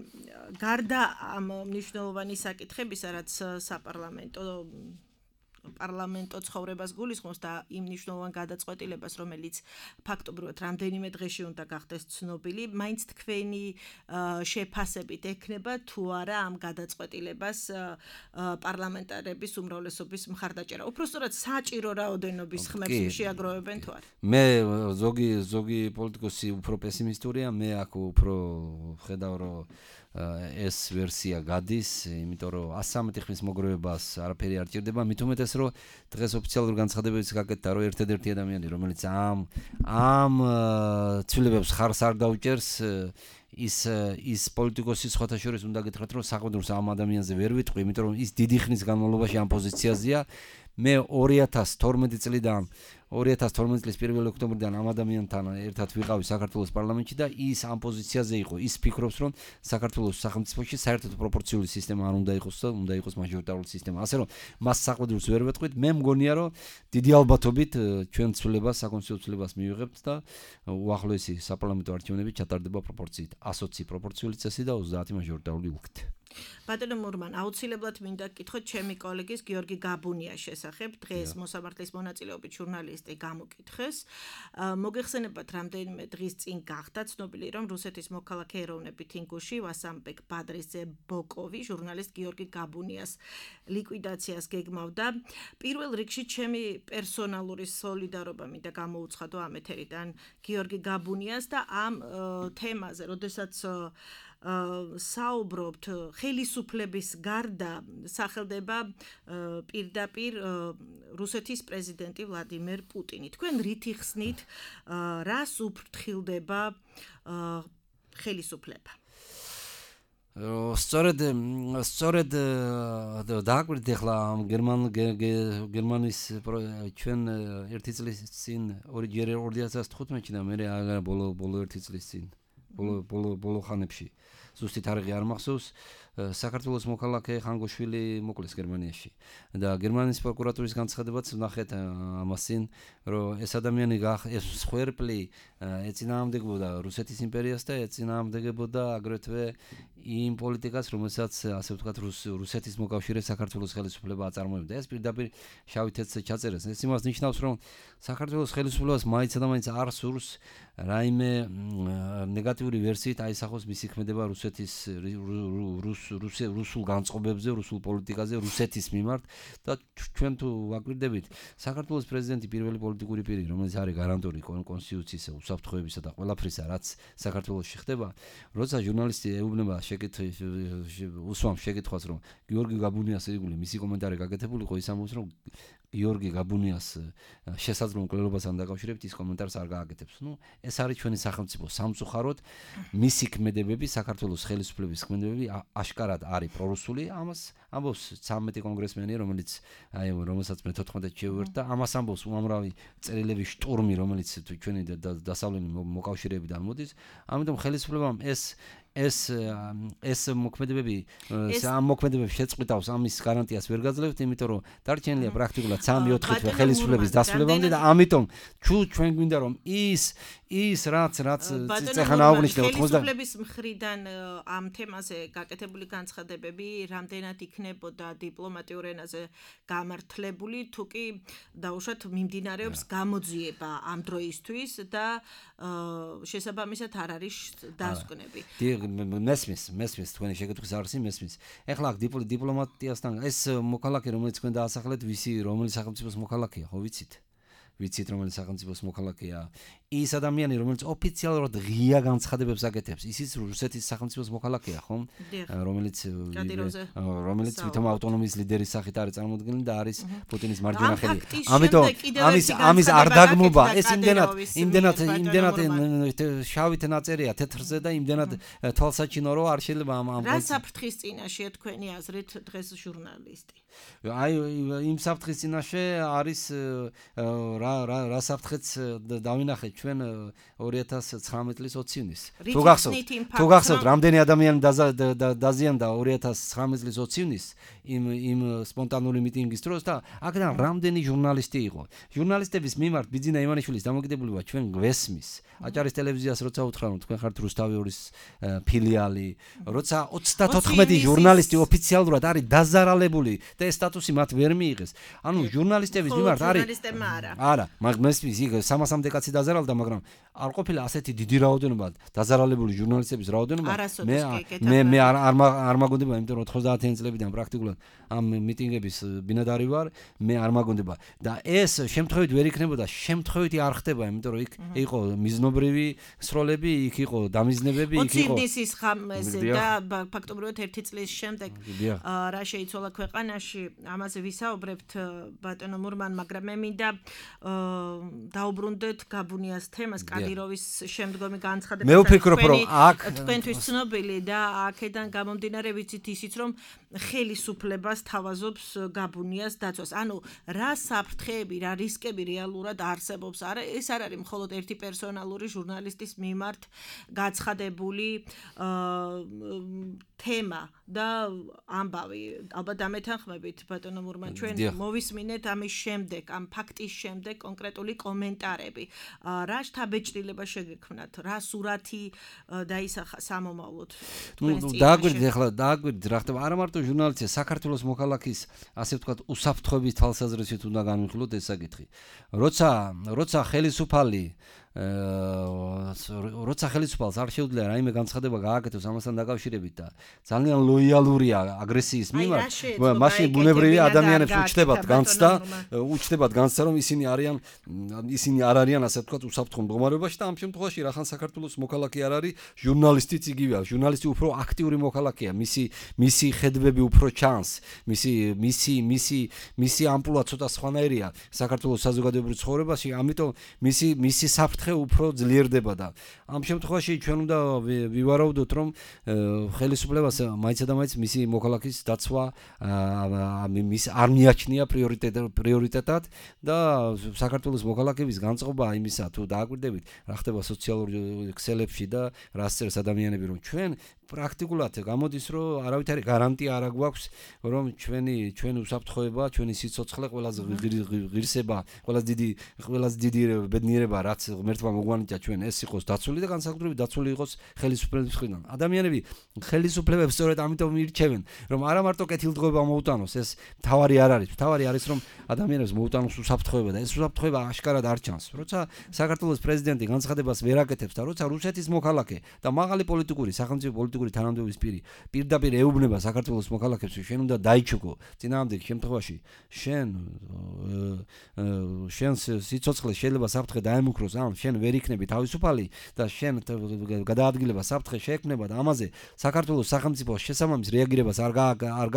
გარდა ამ მნიშვნელოვანი საკითხებისა, რაც საპარლამენტო პარლამენტო ცხოვრებას გულისხმობს და იმ მნიშვნელოვან გადაწყვეტილებას, რომელიც ფაქტობრივად რამდენიმე დღეში უნდა გახდეს ცნობილი, მაინც თქვენი შეფასებით ექნება თუ არა ამ გადაწყვეტილებას პარლამენტარების უმრავლესობის მხარდაჭერა. უფრო სწორად საჭირო რაოდენობის ხმებს შეაგროვებენ თუ არა? მე ზოგი ზოგი პოლიტიკოსი უფრო პესიმისტურია, მე აქ უფრო ხედავ რომ ეს ვერსია გადის, იმიტომ რომ ასი სამი ხმის მოგროვებას არაფერი არ ჭირდება, მით უმეტეს რომ დღეს ოფიციალურ განცხადებებს გაკეთდა რომ ერთადერთი ადამიანი რომელიც ამ ამ ცვლილებებს ხარს არ დაუჭერს ის ის პოლიტიკოსი სხვათა შორის უნდა გითხრათ რომ საყდროს ამ ადამიანზე ვერ ვიტყვი, იმიტომ რომ ის დიდი ხნის განმავლობაში ამ პოზიციაზეა. მე ორი ათას თორმეტი წლიდან ორი ათას თორმეტი წლის პირველი ოქტომბრიდან ამ ადამიანთან ერთად ვიყავი საქართველოს პარლამენტში და ის ამ პოზიციაზე იყო. ის ფიქრობს რომ საქართველოს სახელმწიფოში საერთოდ პროპორციული სისტემა არ უნდა იყოს და უნდა იყოს მაჟორიტარული სისტემა. ასე რომ მას საყდროს ვერ ვეტყვით, მე მგონია რომ დიდი ალბათობით ჩვენ ცვლილებას საკონსტიტუციო ცვლილებას მივიღებთ და უახლოესი საპარლამენტო არჩევნები ჩატარდება პროპორციით ოცი პროპორციული წესი და ოცდაათი მაჟორიტარული ურთი. ბატონო მურმან, აუცილებლად მინდა გკითხოთ ჩემი კოლეგის გიორგი გაბუნიას შესახებ. დღეს მოსამართლის მონაწილეობით ჟურნალისტი გამოკითხეს. მოგეხსენებათ, რამდენიმე დღის წინ გახდა ცნობილი, რომ რუსეთის მოქალაქე ეროვნებით ინგუში ვასამბეკ ბადრიძე ბოკოვი ჟურნალისტ გიორგი გაბუნიას ლიკვიდაციას გეგმავდა. პირველ რიგში ჩემი პერსონალური სოლიდარობა მინდა გამოუცხადო ამ ეთერიდან გიორგი გაბუნიას და ამ თემაზე, როდესაც საუბრობთ ხელისუფლების გარდა სახელდება პირდაპირ რუსეთის პრეზიდენტი ვლადიმერ პუტინი. თქვენ რით იხსნით, რას უფრთხილდება ხელისუფლება? სწორედ სწორედ დააკვირდით ახლა გერმან გერმანის ჩვენ ერთი წლის წინ ორი ათას თხუთმეტში და მე ბოლო ბოლო ერთი წლის წინ ბოლო ბოლო ბოლო ხანებში ზუსტი თარიღი არ მახსოვს, საქართველოს მოქალაქე ხანგოშვილი მოკლეს გერმანიაში და გერმანიის პროკურატურის განცხადებაც ვნახეთ ამასინ, რომ ეს ადამიანი ეს სხერპლი ეწინააღმდეგებოდა რუსეთის იმპერიას და ეწინააღმდეგებოდა აგრეთვე იმ პოლიტიკას, რომელსაც ასე ვთქვათ რუსეთის მოკავშირე საქართველოს ხელისუფლება აწარმოებდა. ეს პირდაპირ შავი თეთრზე ჩაწერეს. ეს იმას ნიშნავს, რომ საქართველოს ხელისუფლებას მაინც და მაინც არ სურს რაიმე ნეგატიური ვერსიით აისახოს მისი ქმედება რუსეთის რუსულ განწყობებზე, რუსულ პოლიტიკაზე, რუსეთის მიმართ და ჩვენ თუ ვაკვირდებით, საქართველოს პრეზიდენტი პირველი პოლიტიკური პირი, რომელიც არის გარანტორი კონსტიტუციისა, უსაფრთხოებისა და ყველაფრისა, რაც საქართველოში ხდება, როცა ჟურნალისტი ეუბნება შეკითხვის უსვამს შეკითხვას, რომ გიორგი გაბუნიას ირგვლივ მისი კომენტარი გაკეთებული იყო, ის ამბობს, რომ გიორგი გაბუნიას შესაძლო მკვლელობასთან დაკავშირებით ის კომენტარს არ გააკეთებს. ნუ ეს არის ჩვენი სახელმწიფო სამწუხაროდ მისი ქმედებები, საქართველოს ხელისუფლების ქმედებები აშკარად არის პრორუსული. ამას ამბობს ცამეტი კონგრესმენი, რომელიც აი რომელსაც მე თოთხმეტი შევერთ და ამას ამბობს უამრავი წერილების შტურმი, რომელიც ჩვენი დასავლელი მოკავშირეებიდან მოდის. ამიტომ ხელისუფლებამ ეს ეს ეს მოქმედებები ამ მოქმედებებს შეწყვიტავს, ამის გარანტიას ვერ გაძლევთ, იმიტომ რომ დარჩენილია პრაქტიკულად სამი ოთხი თვე ხელისუფლების დასრულებამდე და ამიტომ ჩუ ჩვენ გვინდა რომ ის ის რაც რაც წეხანა აღნიშნე ოთხმოცდა ხელისუფლების მხრიდან ამ თემაზე გაკეთებული განცხადებები რამდენად იქნებოდა დიპლომატიურ ენაზე გამართლებული, თუ კი დაუშვათ მიმდინარეობს გამოძიება ამ დროისთვის და შესაბამისად არ არის დასკვნები. მესმის, მესმის თქვენი შეკითხვის არსი მესმის. ეხლა აქ დიპლომატიასთან ეს მოქალაქე, რომელიც თქვენ დაასახლეთ, ვისი რომელი სახელმწიფოს მოქალაქეა, ხო ვიცით? ვიცით რომელი სახელმწიფოს მოქალაქეა? ის ადამიანი, რომელიც ოფიციალურად ღია განცხადებებს აკეთებს, ისიც რუსეთის სახელმწიფოს მოქალაქეა, ხო? რომელიც რომელიც თვითონ ავტონომიის ლიდერის სახით არის წარმოდგენილი და არის პუტინის მარჯვენა ხელი. ამიტომ ამის ამის არ დაგმობა, ეს იმდენად იმდენად იმდენად შავით ნაწერია თეთრზე და იმდენად თვალსაჩინო, რომ არ შეიძლება ამ ამ რა საფრთხის წინაშეა თქვენი აზრით დღეს ჟურნალისტი? აი იმ საფრთხის წინაშე არის რა რა რა საფრთხეც დავინახეთ ჩვენ ორი ათას ცხრამეტი წლის ოცი ივნის. თუ გახსოვთ, თუ გახსოვთ, რამდენი ადამიანი დაზიანდა ორი ათას ცხრამეტი წლის ოცი ივნის იმ იმ სპონტანური მიტინგის დროს და აქედან რამდენი ჟურნალისტი იყო. ჟურნალისტების მიმართ ბიძინა ივანიშვილის დამოკიდებულება ჩვენ გვესმის. აჭარის ტელევიზიას როცა უთხრა რომ თქვენ ხართ რუსთავი ორის ფილიალი, როცა ოცდათოთხმეტი ჟურნალისტი ოფიციალურად არის დაზარალებული და ეს სტატუსი მათ ვერ მიიღეს. ანუ ჟურნალისტების მიმართ არის არა, მესმის იქ სამასამდე კაცი დაზარალდა, მაგრამ არ ყოფილა ასეთი დიდი რაოდენობა დაზარალებული ჟურნალისტების რაოდენობა. მე მე მე არ არ მაგონდება, იმიტომ რომ ოცდაათიანი წლებიდან პრაქტიკულად ამ მიტინგების ბინადარი ვარ, მე არ მაგონდება და ეს შემთხვევით ვერ იქნებოდა, შემთხვევით არ ხდება, იმიტომ რომ იქ იყო მიზნობრივი სროლები, იქ იყო დამიზნებები, იქ იყო ოცი ივნის ხამზე და ფაქტობრივად ერთი წლის შემდეგ რა შეიცვალა ქვეყანაში, ამაზე ვისაუბრებთ ბატონო მურმან, მაგრამ მე მინდა დაუბრუნდეთ გაბუნიას თემას, კადიროვის შემდგომი განცხადება. მე ვფიქრობ, რომ აქ თქვენთვის ცნობილი და აქედან გამომდინარე ვიცით ისიც, რომ ხელისუფლებას თავაზობს გაბუნიას დაცვას. ანუ რა საფრთხეები, რა რისკები რეალურად არსებობს? არა, ეს არ არის მხოლოდ ერთი პერსონალური ჟურნალისტის მიმართ გაცხადებული თემა და ამბავი. ალბათ ამეთანხმებით ბატონო მურმან, ჩვენ მოვისმინეთ ამის შემდეგ, ამ ფაქტის შემდეგ კონკრეტული კომენტარები. რა შთაბეჭდილება შეგექმნათ? რა სურათი დაისახა სამომავლოდ? დააგვირდით ახლა, დააგვირდით რა ხდება. არა მარტო ჟურნალისტია, საქართველოს მოქალაქის, ასე ვთქვათ, უსაფრთხოების თვალსაზრისით უნდა განვიხილოთ ეს საკითხი. როცა როცა ხელისუფალი როცა ხელისუფალს არ შეუძლია რაიმე განცხადება გააკეთოს ამასთან დაკავშირებით და ძალიან ლოიალურია აგრესიის მიმართ, მაშინ ბუნებრივი ადამიანებს უჩნდებათ განცდა, უჩნდებათ განცდა, რომ ისინი არიან ისინი არ არიან, ასე ვთქვათ, უსაფრთხო მდგომარეობაში და ამ შემთხვევაში რახან საქართველოს მოქალაქე არ არის, ჟურნალისტიც იგივეა. ჟურნალისტი უფრო აქტიური მოქალაქეა, მისი მისი ხედვები უფრო ჩანს, მისი მისი მისი მისი ამპლუა ცოტა სხვანაირია საქართველოს საზოგადოებრივ ცხოვრებაში, ამიტომ მისი მისი საფრთხე უფრო ძლიერდება და ამ შემთხვევაში ჩვენ უნდა ვივარაუდოთ, რომ ხელისუფლებას მაინც და მაინც მისი მოქალაქის დაცვა მის არ მიაჩნია პრიორიტეტად და საქართველოს მოქალაქეების განწყობა იმისა, თუ დააკვირდებით, რა ხდება სოციალურ ქსელებში და რა წერს ადამიანები, რომ ჩვენ პრაქტიკულად გამოდის, რომ არავითარი გარანტია არ აქვს, რომ ჩვენი ჩვენი უსაფრთხოება, ჩვენი სიცოცხლე, ყველაზე ღირსება, ყველაზე დიდი ყველაზე დიდი ბედნიერება, რაც ღმერთმა მოგვანიჭა ჩვენ, ეს იყოს დაცული და განსაკუთრებით დაცული იყოს ხელისუფლების მხრიდან. ადამიანები ხელისუფლებებს სწორედ ამიტომ ირჩევენ, რომ არა მარტო კეთილდღეობა მოუტანოს, ეს თავარი არ არის. თავარი არის, რომ ადამიანებს მოუტანოს უსაფრთხოება და ეს უსაფრთხოება აშკარად არ ჩანს. როცა საქართველოს პრეზიდენტი განცხადებას ვერ აკეთებს და როცა რუსეთის მოქალაქე და მაღალი პოლიტიკური, სახელმწიფო პოლიტიკური თანამდებობის პირი პირდაპირ ეუბნება საქართველოს მოქალაქებს, შენ უნდა დაიჩუქო. წინააღმდეგ შემთხვევაში შენ შენ სიცოცხლე შეიძლება საფრთხე დაემუქროს, ან შენ ვერ იქნები თავისუფალი და შენ გადაადგილება საფრთხე შეექმნება და ამაზე საქართველოს სახელმწიფო შესაბამის რეაგირებას არ არ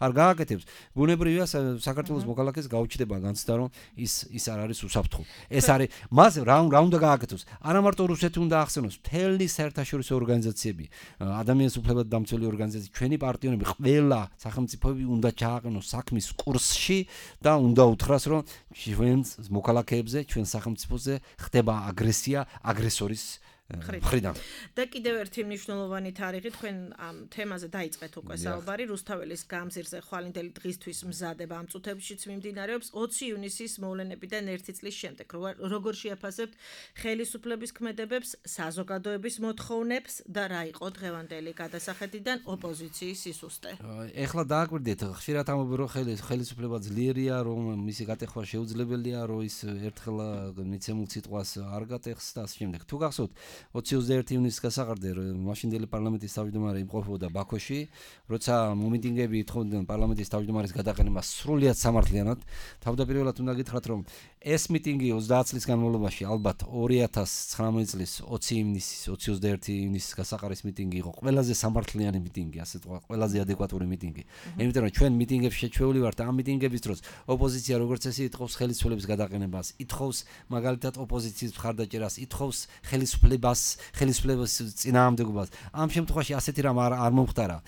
არ გააკეთებს. ბუნებრივია საქართველოს მოქალაქეს გაუჩნდება განცდა, რომ ის ის არ არის უსაფრთხო. ეს არის მას რა რა უნდა გააკეთოს. არა მარტო რუსეთი უნდა ახსენოს, მთელი საერთაშორისო ორგანიზაციები, ადამიანის უფლებათა დამცველი ორგანიზაციები, ჩვენი პარტნიორები, ყველა სახელმწიფოები უნდა ჩააყენოს საქმის კურსში და უნდა უთხრას, რომ ჩვენ მოქალაქეებზე, ჩვენ სახელმწიფოზე ხდება აგრესია აგრესორის მხრიდან. და კიდევ ერთი მნიშვნელოვანი თარიღი, თქვენ ამ თემაზე დაიწყეთ უკვე საუბარი, რუსთაველის გამზირზე ხვალინდელი დღისთვის მზადება ამ წუთებშიც მიმდინარეობს ოცი ივნისის მოვლენებიდან ერთი წლის შემდეგ. როგორ შეაფასებთ ხელისუფლების ქმედებებს, საზოგადოების მოთხოვნებს და რა იყო დღევანდელი გადასახედიდან ოპოზიციის სისუსტე? ეხლა დააკვირდეთ, ხშირად ამბობენ, რომ ხელისუფლება ძლიერია, რომ მისი გატეხვა შეუძლებელია, რომ ის ერთხელ მიცემულ სიტყვას არ გატეხს და ამ შემდეგ. თუ გახსოვთ, ოცი ოცდაერთი ივნისის გასაყარდე მაშინდელი პარლამენტის თავმჯდომარე იმყოფებოდა ბაქოში, როცა მომიტინგეები ითხოვდნენ პარლამენტის თავმჯდომარის გადაყენებას სრულიად სამართლიანად. თავდაპირველად უნდა გითხრათ, რომ ეს მიტინგი ოცდაათ წლის განმავლობაში ალბათ ორი ათას ცხრამეტი წლის ოცი ივნისის ოცი ოცდაერთი ივნისის გასაყარის მიტინგი იყო ყველაზე სამართლიანი მიტინგი, ასე ვთქვათ, ყველაზე ადეკვატური მიტინგი. იმიტომ რომ ჩვენ მიტინგებში შეჩვეული ვართ ამ მიტინგების დროს ოპოზიცია როგორც წესი ითხოვს ხელისუფლების გადაყენებას, ითხოვს მაგალითად ოპოზიციის მხარდაჭერას, ითხოვს ხელისუფლება ხელისუფლებას, ხელისუფლების წინააღმდეგობას. ამ შემთხვევაში ასეთი რამ არ არ მომხდარა.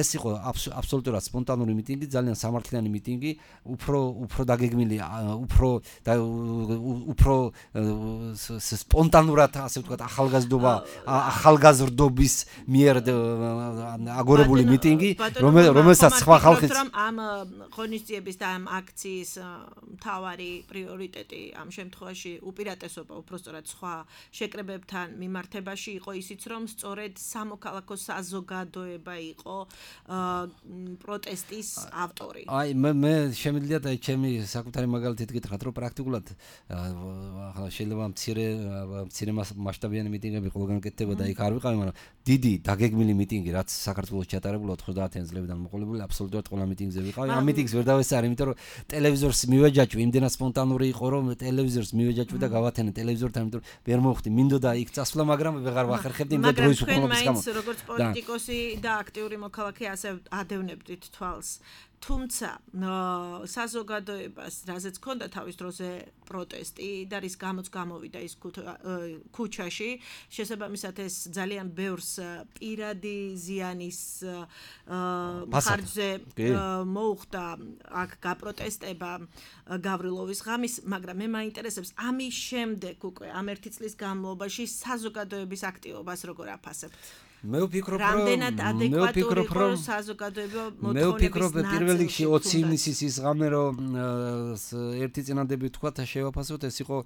ეს იყო აბსოლუტურად სპონტანური მიტინგი, ძალიან სამართლიანი მიტინგი, უფრო უფრო დაგეგმილი, უფრო უფრო სპონტანურად, ასე ვთქვათ, ახალგაზრდობა, ახალგაზრდობის მიერ აგორებული მიტინგი, რომელსაც სხვა ხალხიც ამ ღონისძიების და ამ აქციის მთავარი პრიორიტეტი ამ შემთხვევაში უპირატესობა უბრალოდ სხვა შეკრებებთან მიმართებაში იყო ისიც, რომ სწორედ სამოქალაქო საზოგადოება იყო პროტესტის ავტორი. აი მე მე შემიძლია და ჩემი საკუთარი მაგალითით გითხრათ, რომ პრაქტიკულად ახლა შეიძლება მცირე მცირე მასშტაბიანი მიტინგები ყველგან კეთდება და იქ არ ვიყავი, მაგრამ დიდი დაგეგმილი მიტინგი, რაც საქართველოს ჩატარებულა ოცდაათი წლებიდან მოყოლებული, აბსოლუტურად ყველა მიტინგზე ვიყავი. ამ მიტინგს ვერ დავესწარი, იმიტომ რომ ტელევიზორს მივეჯაჭვი, იმდენად სპონტანური იყო, რომ ტელევიზორს მივეჯაჭვი და გავათენე ტელევიზორთან, იმიტომ რომ ვერ მოხვდი, მინდოდა იქ წასვლა, მაგრამ ვეღარ ვახერხებდი იმ დროის უყურების გამო. მაგრამ თქვენ როგორც პოლიტიკოსი და აქტიური მოქალაქე ასე ადევნებდით თვალს. თუმცა საზოგადოებას, რაზეც ჰქონდა თავის დროზე პროტესტი და რის გამოც გამოვიდა ის ქუჩაში, შესაბამისად ეს ძალიან ბევრს პირადი ზიანის ხარჯზე მოუხდა აქ გაპროტესტება გავრილოვის ღამის, მაგრამ მე მაინტერესებს ამის შემდეგ უკვე ამ ერთი წლის განმავლობაში საზოგადოების აქტივობას როგორ აფასებთ? მე ვფიქრობ, რომ რამდენად ადეკვატური იყო საზოგადოება მოთხოვნების მე ვფიქრობ, პირველ რიგში ოცი ივნისის ის ღამე, რომ ერთი წინადები თქვა და შევაფასოთ, ეს იყო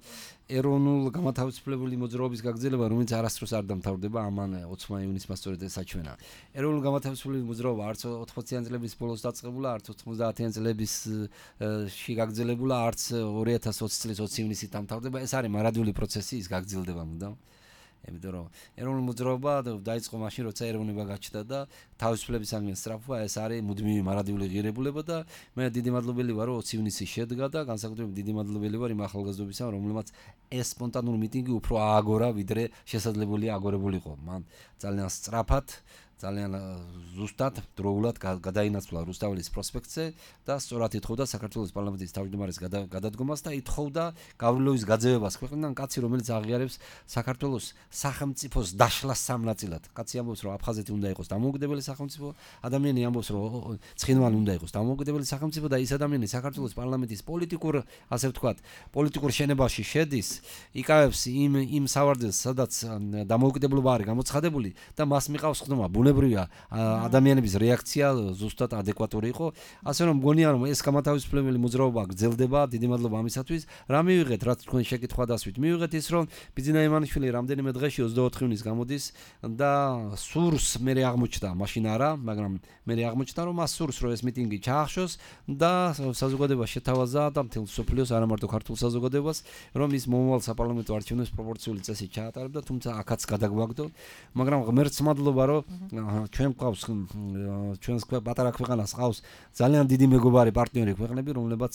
ეროვნულ გამათავისუფლებელი მოძრაობის გაგრძელება, რომელიც არასდროს არ დამთავრდება, ამან ოცდაათი ივნისმა სწორედ ეს საჩვენა. ეროვნულ გამათავისუფლებელი მოძრაობა არც ოთხმოციანი წლების ბოლოს დაწყებულა, არც ოცდაათიანი წლებისში გაგრძელებულა, არც ორი ათას ოცი წლის ოცი ივნისით დამთავრდება. ეს არის მარადიული პროცესი, ის გაგრძელდება მუდამ. იმიტომ რომ ეროვნული მოძრაობა დაიწყო მაშინ, როცა ეროვნება გაჩნდა და თავისუფლებისაგან სწრაფვა, ეს არის მუდმივი მარადიული ღირებულება და მე დიდი მადლობელი ვარ, რომ ოცი ივნისი შედგა და განსაკუთრებით დიდი მადლობელი ვარ იმ ახალგაზრდობისა, რომლებმაც ეს სპონტანური მიტინგი უფრო ააგორა, ვიდრე შესაძლებელია აგორებულიყო. მან ძალიან სწრაფად ძალიან ზუსტად დროულად გადაინაცვლა რუსთაველის პროსპექტზე და სწორად ითხოვდა საქართველოს პარლამენტის თავმჯდომარის გადადგომას და ითხოვდა გავრილოვის გაძევებას ქვეყნიდან, კაცი რომელიც აღიარებს საქართველოს სახელმწიფოს დაშლას სამნაწილად. კაცი ამბობს, რომ აფხაზეთი უნდა იყოს დამოუკიდებელი სახელმწიფო, ადამიანი ამბობს, რომ ცხინვალი უნდა იყოს დამოუკიდებელი სახელმწიფო და ის ადამიანი საქართველოს პარლამენტის პოლიტიკურ, ასე ვთქვათ, პოლიტიკურ შენებაში შედის, იკავებს იმ იმ სავარძელს, სადაც დამოუკიდებლობა არის გამოცხადებული და მას მიყავს ხდომა. ბუნებრივია ადამიანების რეაქცია ზუსტად ადეკვატური იყო, ასე რომ მგონია, რომ ეს გამათავისუფლებელი მოძრაობა გრძელდება, დიდი მადლობა ამისათვის. რა მივიღეთ, რაც თქვენ შეკითხვა დასვით, მივიღეთ ის, რომ ბიძინა ივანიშვილი რამდენიმე დღეში ოცდაოთხი ივნის გამოდის და სურს მე აღმოჩნდა, მაშინ არა, მაგრამ მე აღმოჩნდა, რომ მას სურს, რომ ეს მიტინგი ჩაახშოს და საზოგადოება შეთავაზა და მთელ სოფლიოს, არა მარტო ქართულ საზოგადოებას, რომ ის მომავალ საპარლამენტო არჩევნებს პროპორციული წესით ჩაატარებდა, თუმცა აქაც გადაგვაგდო, მაგრამ ღმერთს მადლობა, რომ ჩვენ გვყავს ჩვენს პატარა ქვეყანას ყავს ძალიან დიდი მეგობარი პარტნიორი ქვეყნები, რომლებაც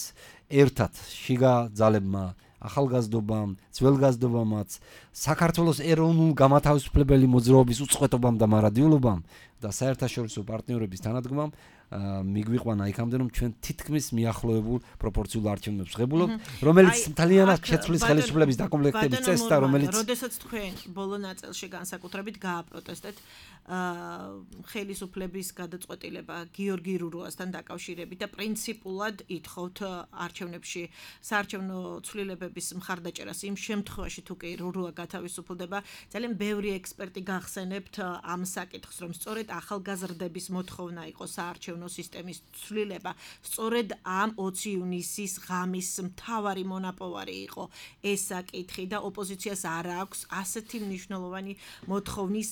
ერთად შიგა ძალებმა, ახალგაზრდობამ, ძველგაზრდობამაც, საქართველოს ეროვნულ გამათავისუფლებელი მოძრაობის უწყვეტობამ და მარადიულობამ და საერთაშორისო პარტნიორების თანადგომამ მიგვიყვანა იქამდე, რომ ჩვენ თითქმის მიახლოებულ პროპორციულ არჩევნებს ვღებულობ, რომელიც მთლიანად შეცვლის ხელისუფლების დაკომპლექტების წესს და რომელიც როდესაც თქვენ ბოლო ნაწილში განსაკუთრებით გააპროტესტეთ ხელისუფლების გადაწყვეტილება გიორგი რურუასთან დაკავშირებით და პრინციპულად ითხოვთ არჩევნებში საარჩევნო ცვლილებების მხარდაჭერას იმ შემთხვევაში თუ კი რურუა გათავისუფლდება, ძალიან ბევრი ექსპერტი გახსენებთ ამ საკითხს, რომ სწორედ ახალგაზრდების მოთხოვნა იყო საარჩევნო სისტემის ცვლილება, სწორედ ამ ოცი ივნისის ღამის მთავარი მონაპოვარი იყო ეს საკითხი და ოპოზიციას არ აქვს ასეთი მნიშვნელოვანი მოთხოვნის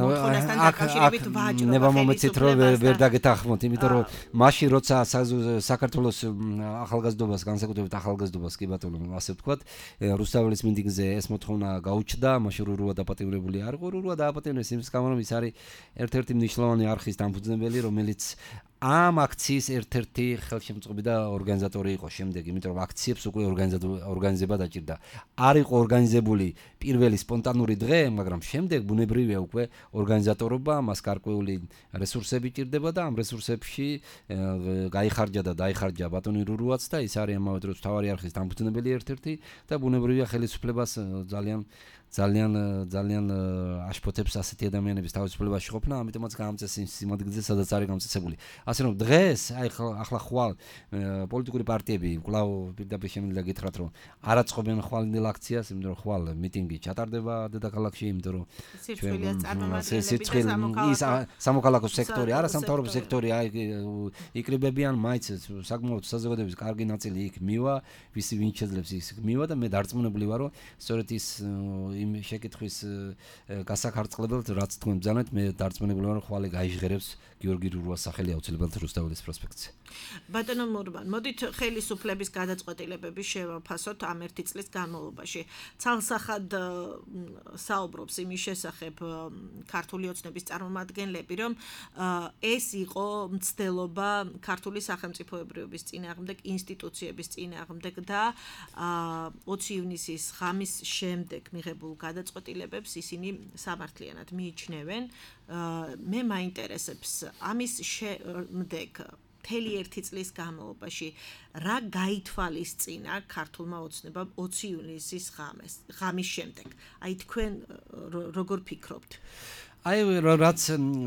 მოთხოვნასთან დაკავშირებით ვაჭრობა. ნება მომეცით, რომ ვერ დაგეთანხმოთ, იმიტომ რომ მაშინ როცა საქართველოს ახალგაზრდობას, განსაკუთრებით ახალგაზრდობას, კი ბატონო, ასე ვთქვათ, რუსთაველის მიტინგზე ეს მოთხოვნა გაუჩნდა, მაშინ რურუა დაპატიმრებული არ იყო, რურუა დააპატიმრეს იმის გამო, რომ ის არის ერთ-ერთი მნიშვნელოვანი არხის დამფუძნებელი, რომელიც ამ აქციის ერთ-ერთი ხელშემწყობი და ორგანიზატორი იყო შემდეგ, იმიტომ რომ აქციებს უკვე ორგანიზება დაჭირდა. არ იყო ორგანიზებული პირველი სპონტანური დღე, მაგრამ შემდეგ ბუნებრივია უკვე ორგანიზატორობა, მას გარკვეული რესურსები ჭირდება და ამ რესურსებში გაიხარჯა და დაიხარჯა ბატონი რურუაც და ის არის ამავე დროს მთავარი არხის დამფუძნებელი ერთ-ერთი და ბუნებრივია ხელისუფლებას ძალიან ძალიან ძალიან აშფოთებს ასეთი ადამიანების თავისუფლებაში ყოფნა, ამიტომაც გაამწეს იმ სიმაგრეზე, სადაც არის გამწესებული. ასე რომ დღეს აი ახლა ხვალ პოლიტიკური პარტიები კვლავ პირდაპირ შემიძლია გითხრათ, რომ არ აწყობენ ხვალინდელ აქციას, იმიტომ რომ ხვალ მიტინგი ჩატარდება დედაქალაქში, იმიტომ რომ სირცვილიას წარმომადგენლები ის სამოქალაქო სექტორი, არა სამთავრობო სექტორი, აი იკრიბებიან მაინც საკმაოდ საზოგადოების კარგი ნაწილი იქ მივა, ვისი ვინ შეძლებს ის მივა და მე დარწმუნებული ვარ, რომ სწორედ ის იმ შეკითხვის გასახარწყლებელთ, რაც თქვენ ბრძანეთ, მე დარწმუნებული ვარ, რომ ხვალე გაიჟღერებს გიორგი რურვას სახელი აუცილებლად რუსთაველის პროსპექტზე. ბატონო მურბან, მოდით ხელისუფლების გადაწყვეტილებები შევაფასოთ ამ ერთი წლის განმავლობაში. ცალსახად საუბრობს იმის შესახებ ქართული ოცნების წარმომადგენლები, რომ ეს იყო მცდელობა ქართული სახელმწიფოებრიობის წინააღმდეგ, ინსტიტუციების წინააღმდეგ და ოცი ივნისის ღამის შემდეგ მიღებულ გადაწყვეტილებებს ისინი სამართლიანად მიიჩნევენ. მე მაინტერესებს ამის შემდეგ მთელი ერთი წლის განმავლობაში რა გაითვალისწინა ქართულმა ოცნებამ ოცი ივნისის ღამეს ღამის შემდეგ. აი თქვენ როგორ ფიქრობთ? აი რაც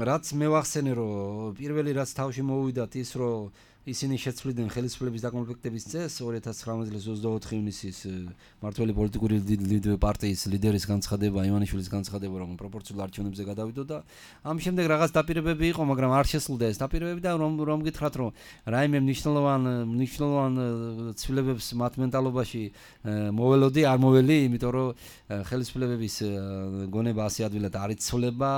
რაც მე ვახსენე, რომ პირველი რაც თავში მოვიდათ ის, რომ ისინი შეცვლიდნენ ხელისუფლების დაკომპლექტების წესს ორი ათას ცხრამეტი წლის ოცდაოთხი ივნისის მართველი პოლიტიკური პარტიის ლიდერის განცხადება, ივანიშვილის განცხადება, რომ პროპორციულ არჩევნებზე გადავიდო და ამ შემდეგ რაღაც დაპირებები იყო, მაგრამ არ შესრულდა ეს დაპირებები და რომ რომ გითხრათ, რომ რაიმე მნიშვნელოვან მნიშვნელოვან ცვლილებებს მათ მენტალობაში მოველოდი, არ მოველი, იმიტომ რომ ხელისუფლების გონება ასე ადვილად არ იცვლება,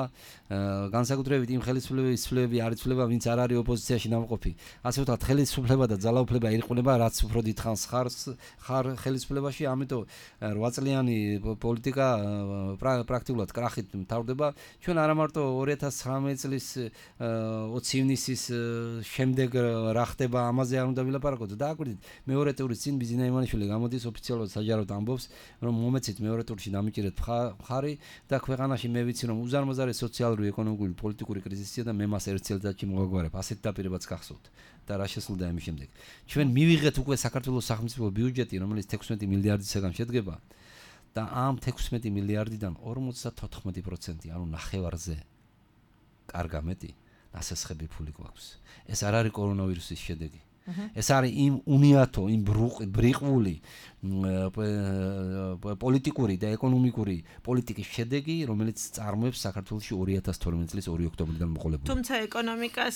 განსაკუთრებით იმ ხელისუფლების ცვლილებები არ იცვლება, ვინც არ არის ოპოზიციაში ნამყოფი. ასე ვთქვათ, ხელისუფლება და ძალაუფლება ირყუნება, რაც უფრო დიდ ხანს ხარ ხელისუფლებაში, ამიტომ რვა წლიანი პოლიტიკა პრაქტიკულად კრახით მთავრდება. ჩვენ არა მარტო ორი ათას ცხრამეტი წლის ოცი ივნისის შემდეგ რა ხდება, ამაზე არ უნდა ვილაპარაკოთ. დააკვირდით, მეორე ტურის წინ ბიზინა ივანიშვილი გამოდის ოფიციალურად საჯაროდ ამბობს, რომ მომეცით მეორე ტურში დამიჭირეთ მხარი და ქვეყანაში მე ვიცი, რომ უზარმაზარი სოციალური, ეკონომიკური, პოლიტიკური კრიზისია და მე მას ერთ წელიწადში მოვაგვარებ. ასეთ დაპირებაც გახსოვთ. და რა შესრულდა ამის შემდეგ. ჩვენ მივიღეთ უკვე საქართველოს სახელმწიფო ბიუჯეტი, რომელიც თექვსმეტი მილიარდისაგან შედგება და ამ თექვსმეტი მილიარდიდან ორმოცდათოთხმეტი პროცენტი, ანუ ნახევარზე კარგა მეტი, ნასესხები ფული გვაქვს. ეს არ არის კორონავირუსის შედეგი. ეს არის იმ უნიათო, იმ ბრიყვული პოლიტიკური და ეკონომიკური პოლიტიკის შედეგი, რომელიც წარმოებს საქართველოში ორი ათას თორმეტი წლის ორი ოქტომბრიდან მოყოლებული. თუმცა ეკონომიკას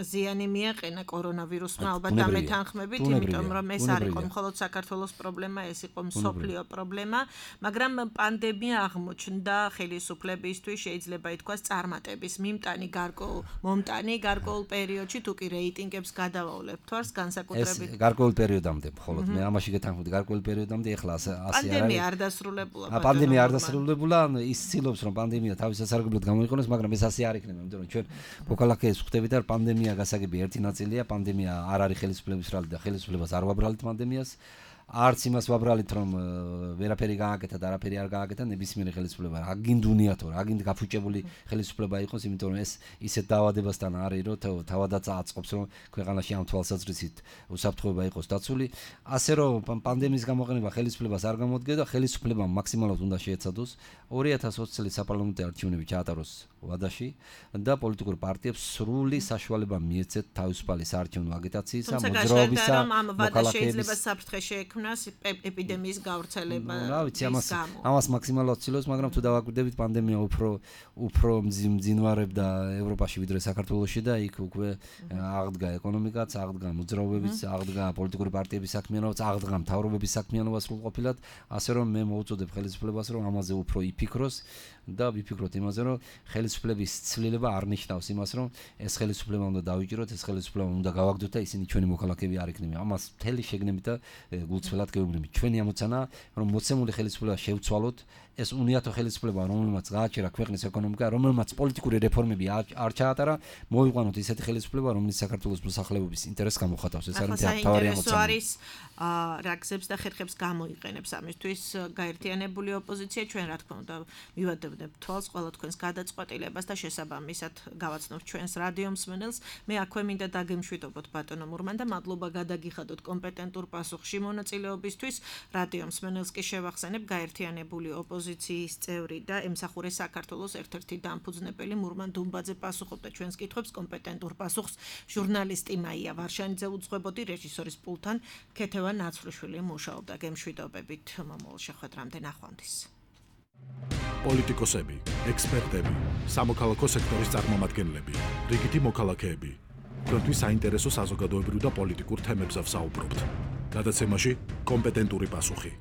ზიანი მიაყენა კორონავირუსმა, ალბათ დამეთანხმებით, იმიტომ რომ ეს არ იყო მხოლოდ საქართველოს პრობლემა, ეს იყო მსოფლიო პრობლემა, მაგრამ პანდემია აღმოჩნდა ხელისუფლებისთვის, შეიძლება ითქვას, წარმატების მიმტანი გარკვეულ მომტანი გარკვეულ პერიოდში, თუ კი რეიტინგებს გადავავლებთ თვარს, განსაკუთრებით ეს გარკვეულ პერიოდამდე, მხოლოდ მე ამაში გეთანხმდი გარკვეულ პერიოდამდე, ეხლა ასე არ არის. პანდემია არ დასრულებულა. პანდემია არ დასრულებულა, ის ცდილობს, რომ პანდემია თავის სასარგებლოდ გამოიყენოს, მაგრამ ეს ასე არ იქნება, იმიტომ რომ ჩვენ მოქალაქეებს ხვდებით, რომ პანდემია გასაგები ერთი ნაწილია, პანდემია არ არის ხელისუფლების რალი და ხელისუფლებას არ ვაბრალით პანდემიას. არც იმას ვაბრალით, რომ ვერაფერი გააკეთა და არაფერი არ გააკეთა ნებისმიერი ხელისუფლება. აგინდ უნიათო, აგინდ გაფუჭებული ხელისუფლება იყოს, იმიტომ რომ ეს ისეთ დაავადებასთან არის, რომ თავადაც აწყობს, რომ ქვეყანაში ამ თვალსაზრისით უსაფრთხოება იყოს დაცული. ასე რომ პანდემიის გამოყენება ხელისუფლებას არ გამოდგება და ხელისუფლებამ მაქსიმალურად უნდა შეეცადოს ორი ათას ოცი წლის საპარლამენტო არჩევნები ჩაატაროს ვადაში და პოლიტიკურ პარტიებს სრული საშუალება მიეცეთ თავისუფალი საარჩევნო აგიტაციისა, მოძრაობისა, მოქალაქეების საფრთხე შეექმნას ეპიდემიის გავრცელება. რა ვიცი, ამას ამას მაქსიმალურად ცდილობს, მაგრამ თუ დავაკვირდებით, პანდემია უფრო უფრო მძინვარებდა ევროპაში ვიდრე საქართველოში და იქ უკვე აღდგა ეკონომიკაც, აღდგა მოძრაობებიც, აღდგა პოლიტიკური პარტიების საქმიანობაც, აღდგა მთავრობების საქმიანობა სრულყოფილად, ასე რომ მე მოვუწოდებ ხელისუფლებას, რომ ამაზე უფრო იფიქროს და ვიფიქროთ იმაზე, რომ ხელისუფლების ცვლილება არ ნიშნავს იმას, რომ ეს ხელისუფლება უნდა დავიჭიროთ, ეს ხელისუფლება უნდა გავაგდოთ და ისინი ჩვენი მოქალაქეები არ იქნებიან. ამას მთელი შეგნებით და გულწრფელად გეუბნებით. ჩვენი ამოცანაა, რომ მოცემული ხელისუფლება შევცვალოთ, ეს უნიათო ხელისუფლება, რომელმაც გააჩერა ქვეყნის ეკონომიკა, რომელმაც პოლიტიკური რეფორმები არ ჩაატარა, მოვიყვანოთ ისეთი ხელისუფლება, რომელიც საქართველოს მოსახლეობის ინტერესს გამოხატავს. ეს არის თავარი ამოცანა. არის რა გზებს და ხერხებს გამოიყენებს ამისთვის გაერთიანებული ოპოზიცია. ჩვენ რა თქმა უნდა მივადებთ თვალს ყველა თქვენს გადაწყვეტილებას განხორციელებას და შესაბამისად გავაცნობთ ჩვენს რადიო მსმენელს. მე აქვე მინდა დაგემშვიდობოთ ბატონო მურმან და მადლობა გადაგიხადოთ კომპეტენტურ პასუხში მონაწილეობისთვის. რადიო მსმენელს კი შევახსენებ გაერთიანებული ოპოზიციის წევრი და ემსახურე საქართველოს ერთ-ერთი დამფუძნებელი მურმან დუმბაძე პასუხობდა ჩვენს კითხვებს. კომპეტენტურ პასუხს ჟურნალისტი მაია ვარშანიძე უძღვებოდი, რეჟისორის პულთან ქეთევან ნაცვლიშვილი მუშაობდა. გემშვიდობებით მომავალ შეხვედრამდე, ნახვამდის. პოლიტიკოსები, ექსპერტები, სამოქალაქო სექტორის წარმომადგენლები, რიგითი მოქალაქეები. თქვენთვის საინტერესო საზოგადოებრივ და პოლიტიკურ თემებზე ვსაუბრობთ. გადაცემაში კომპეტენტური პასუხი.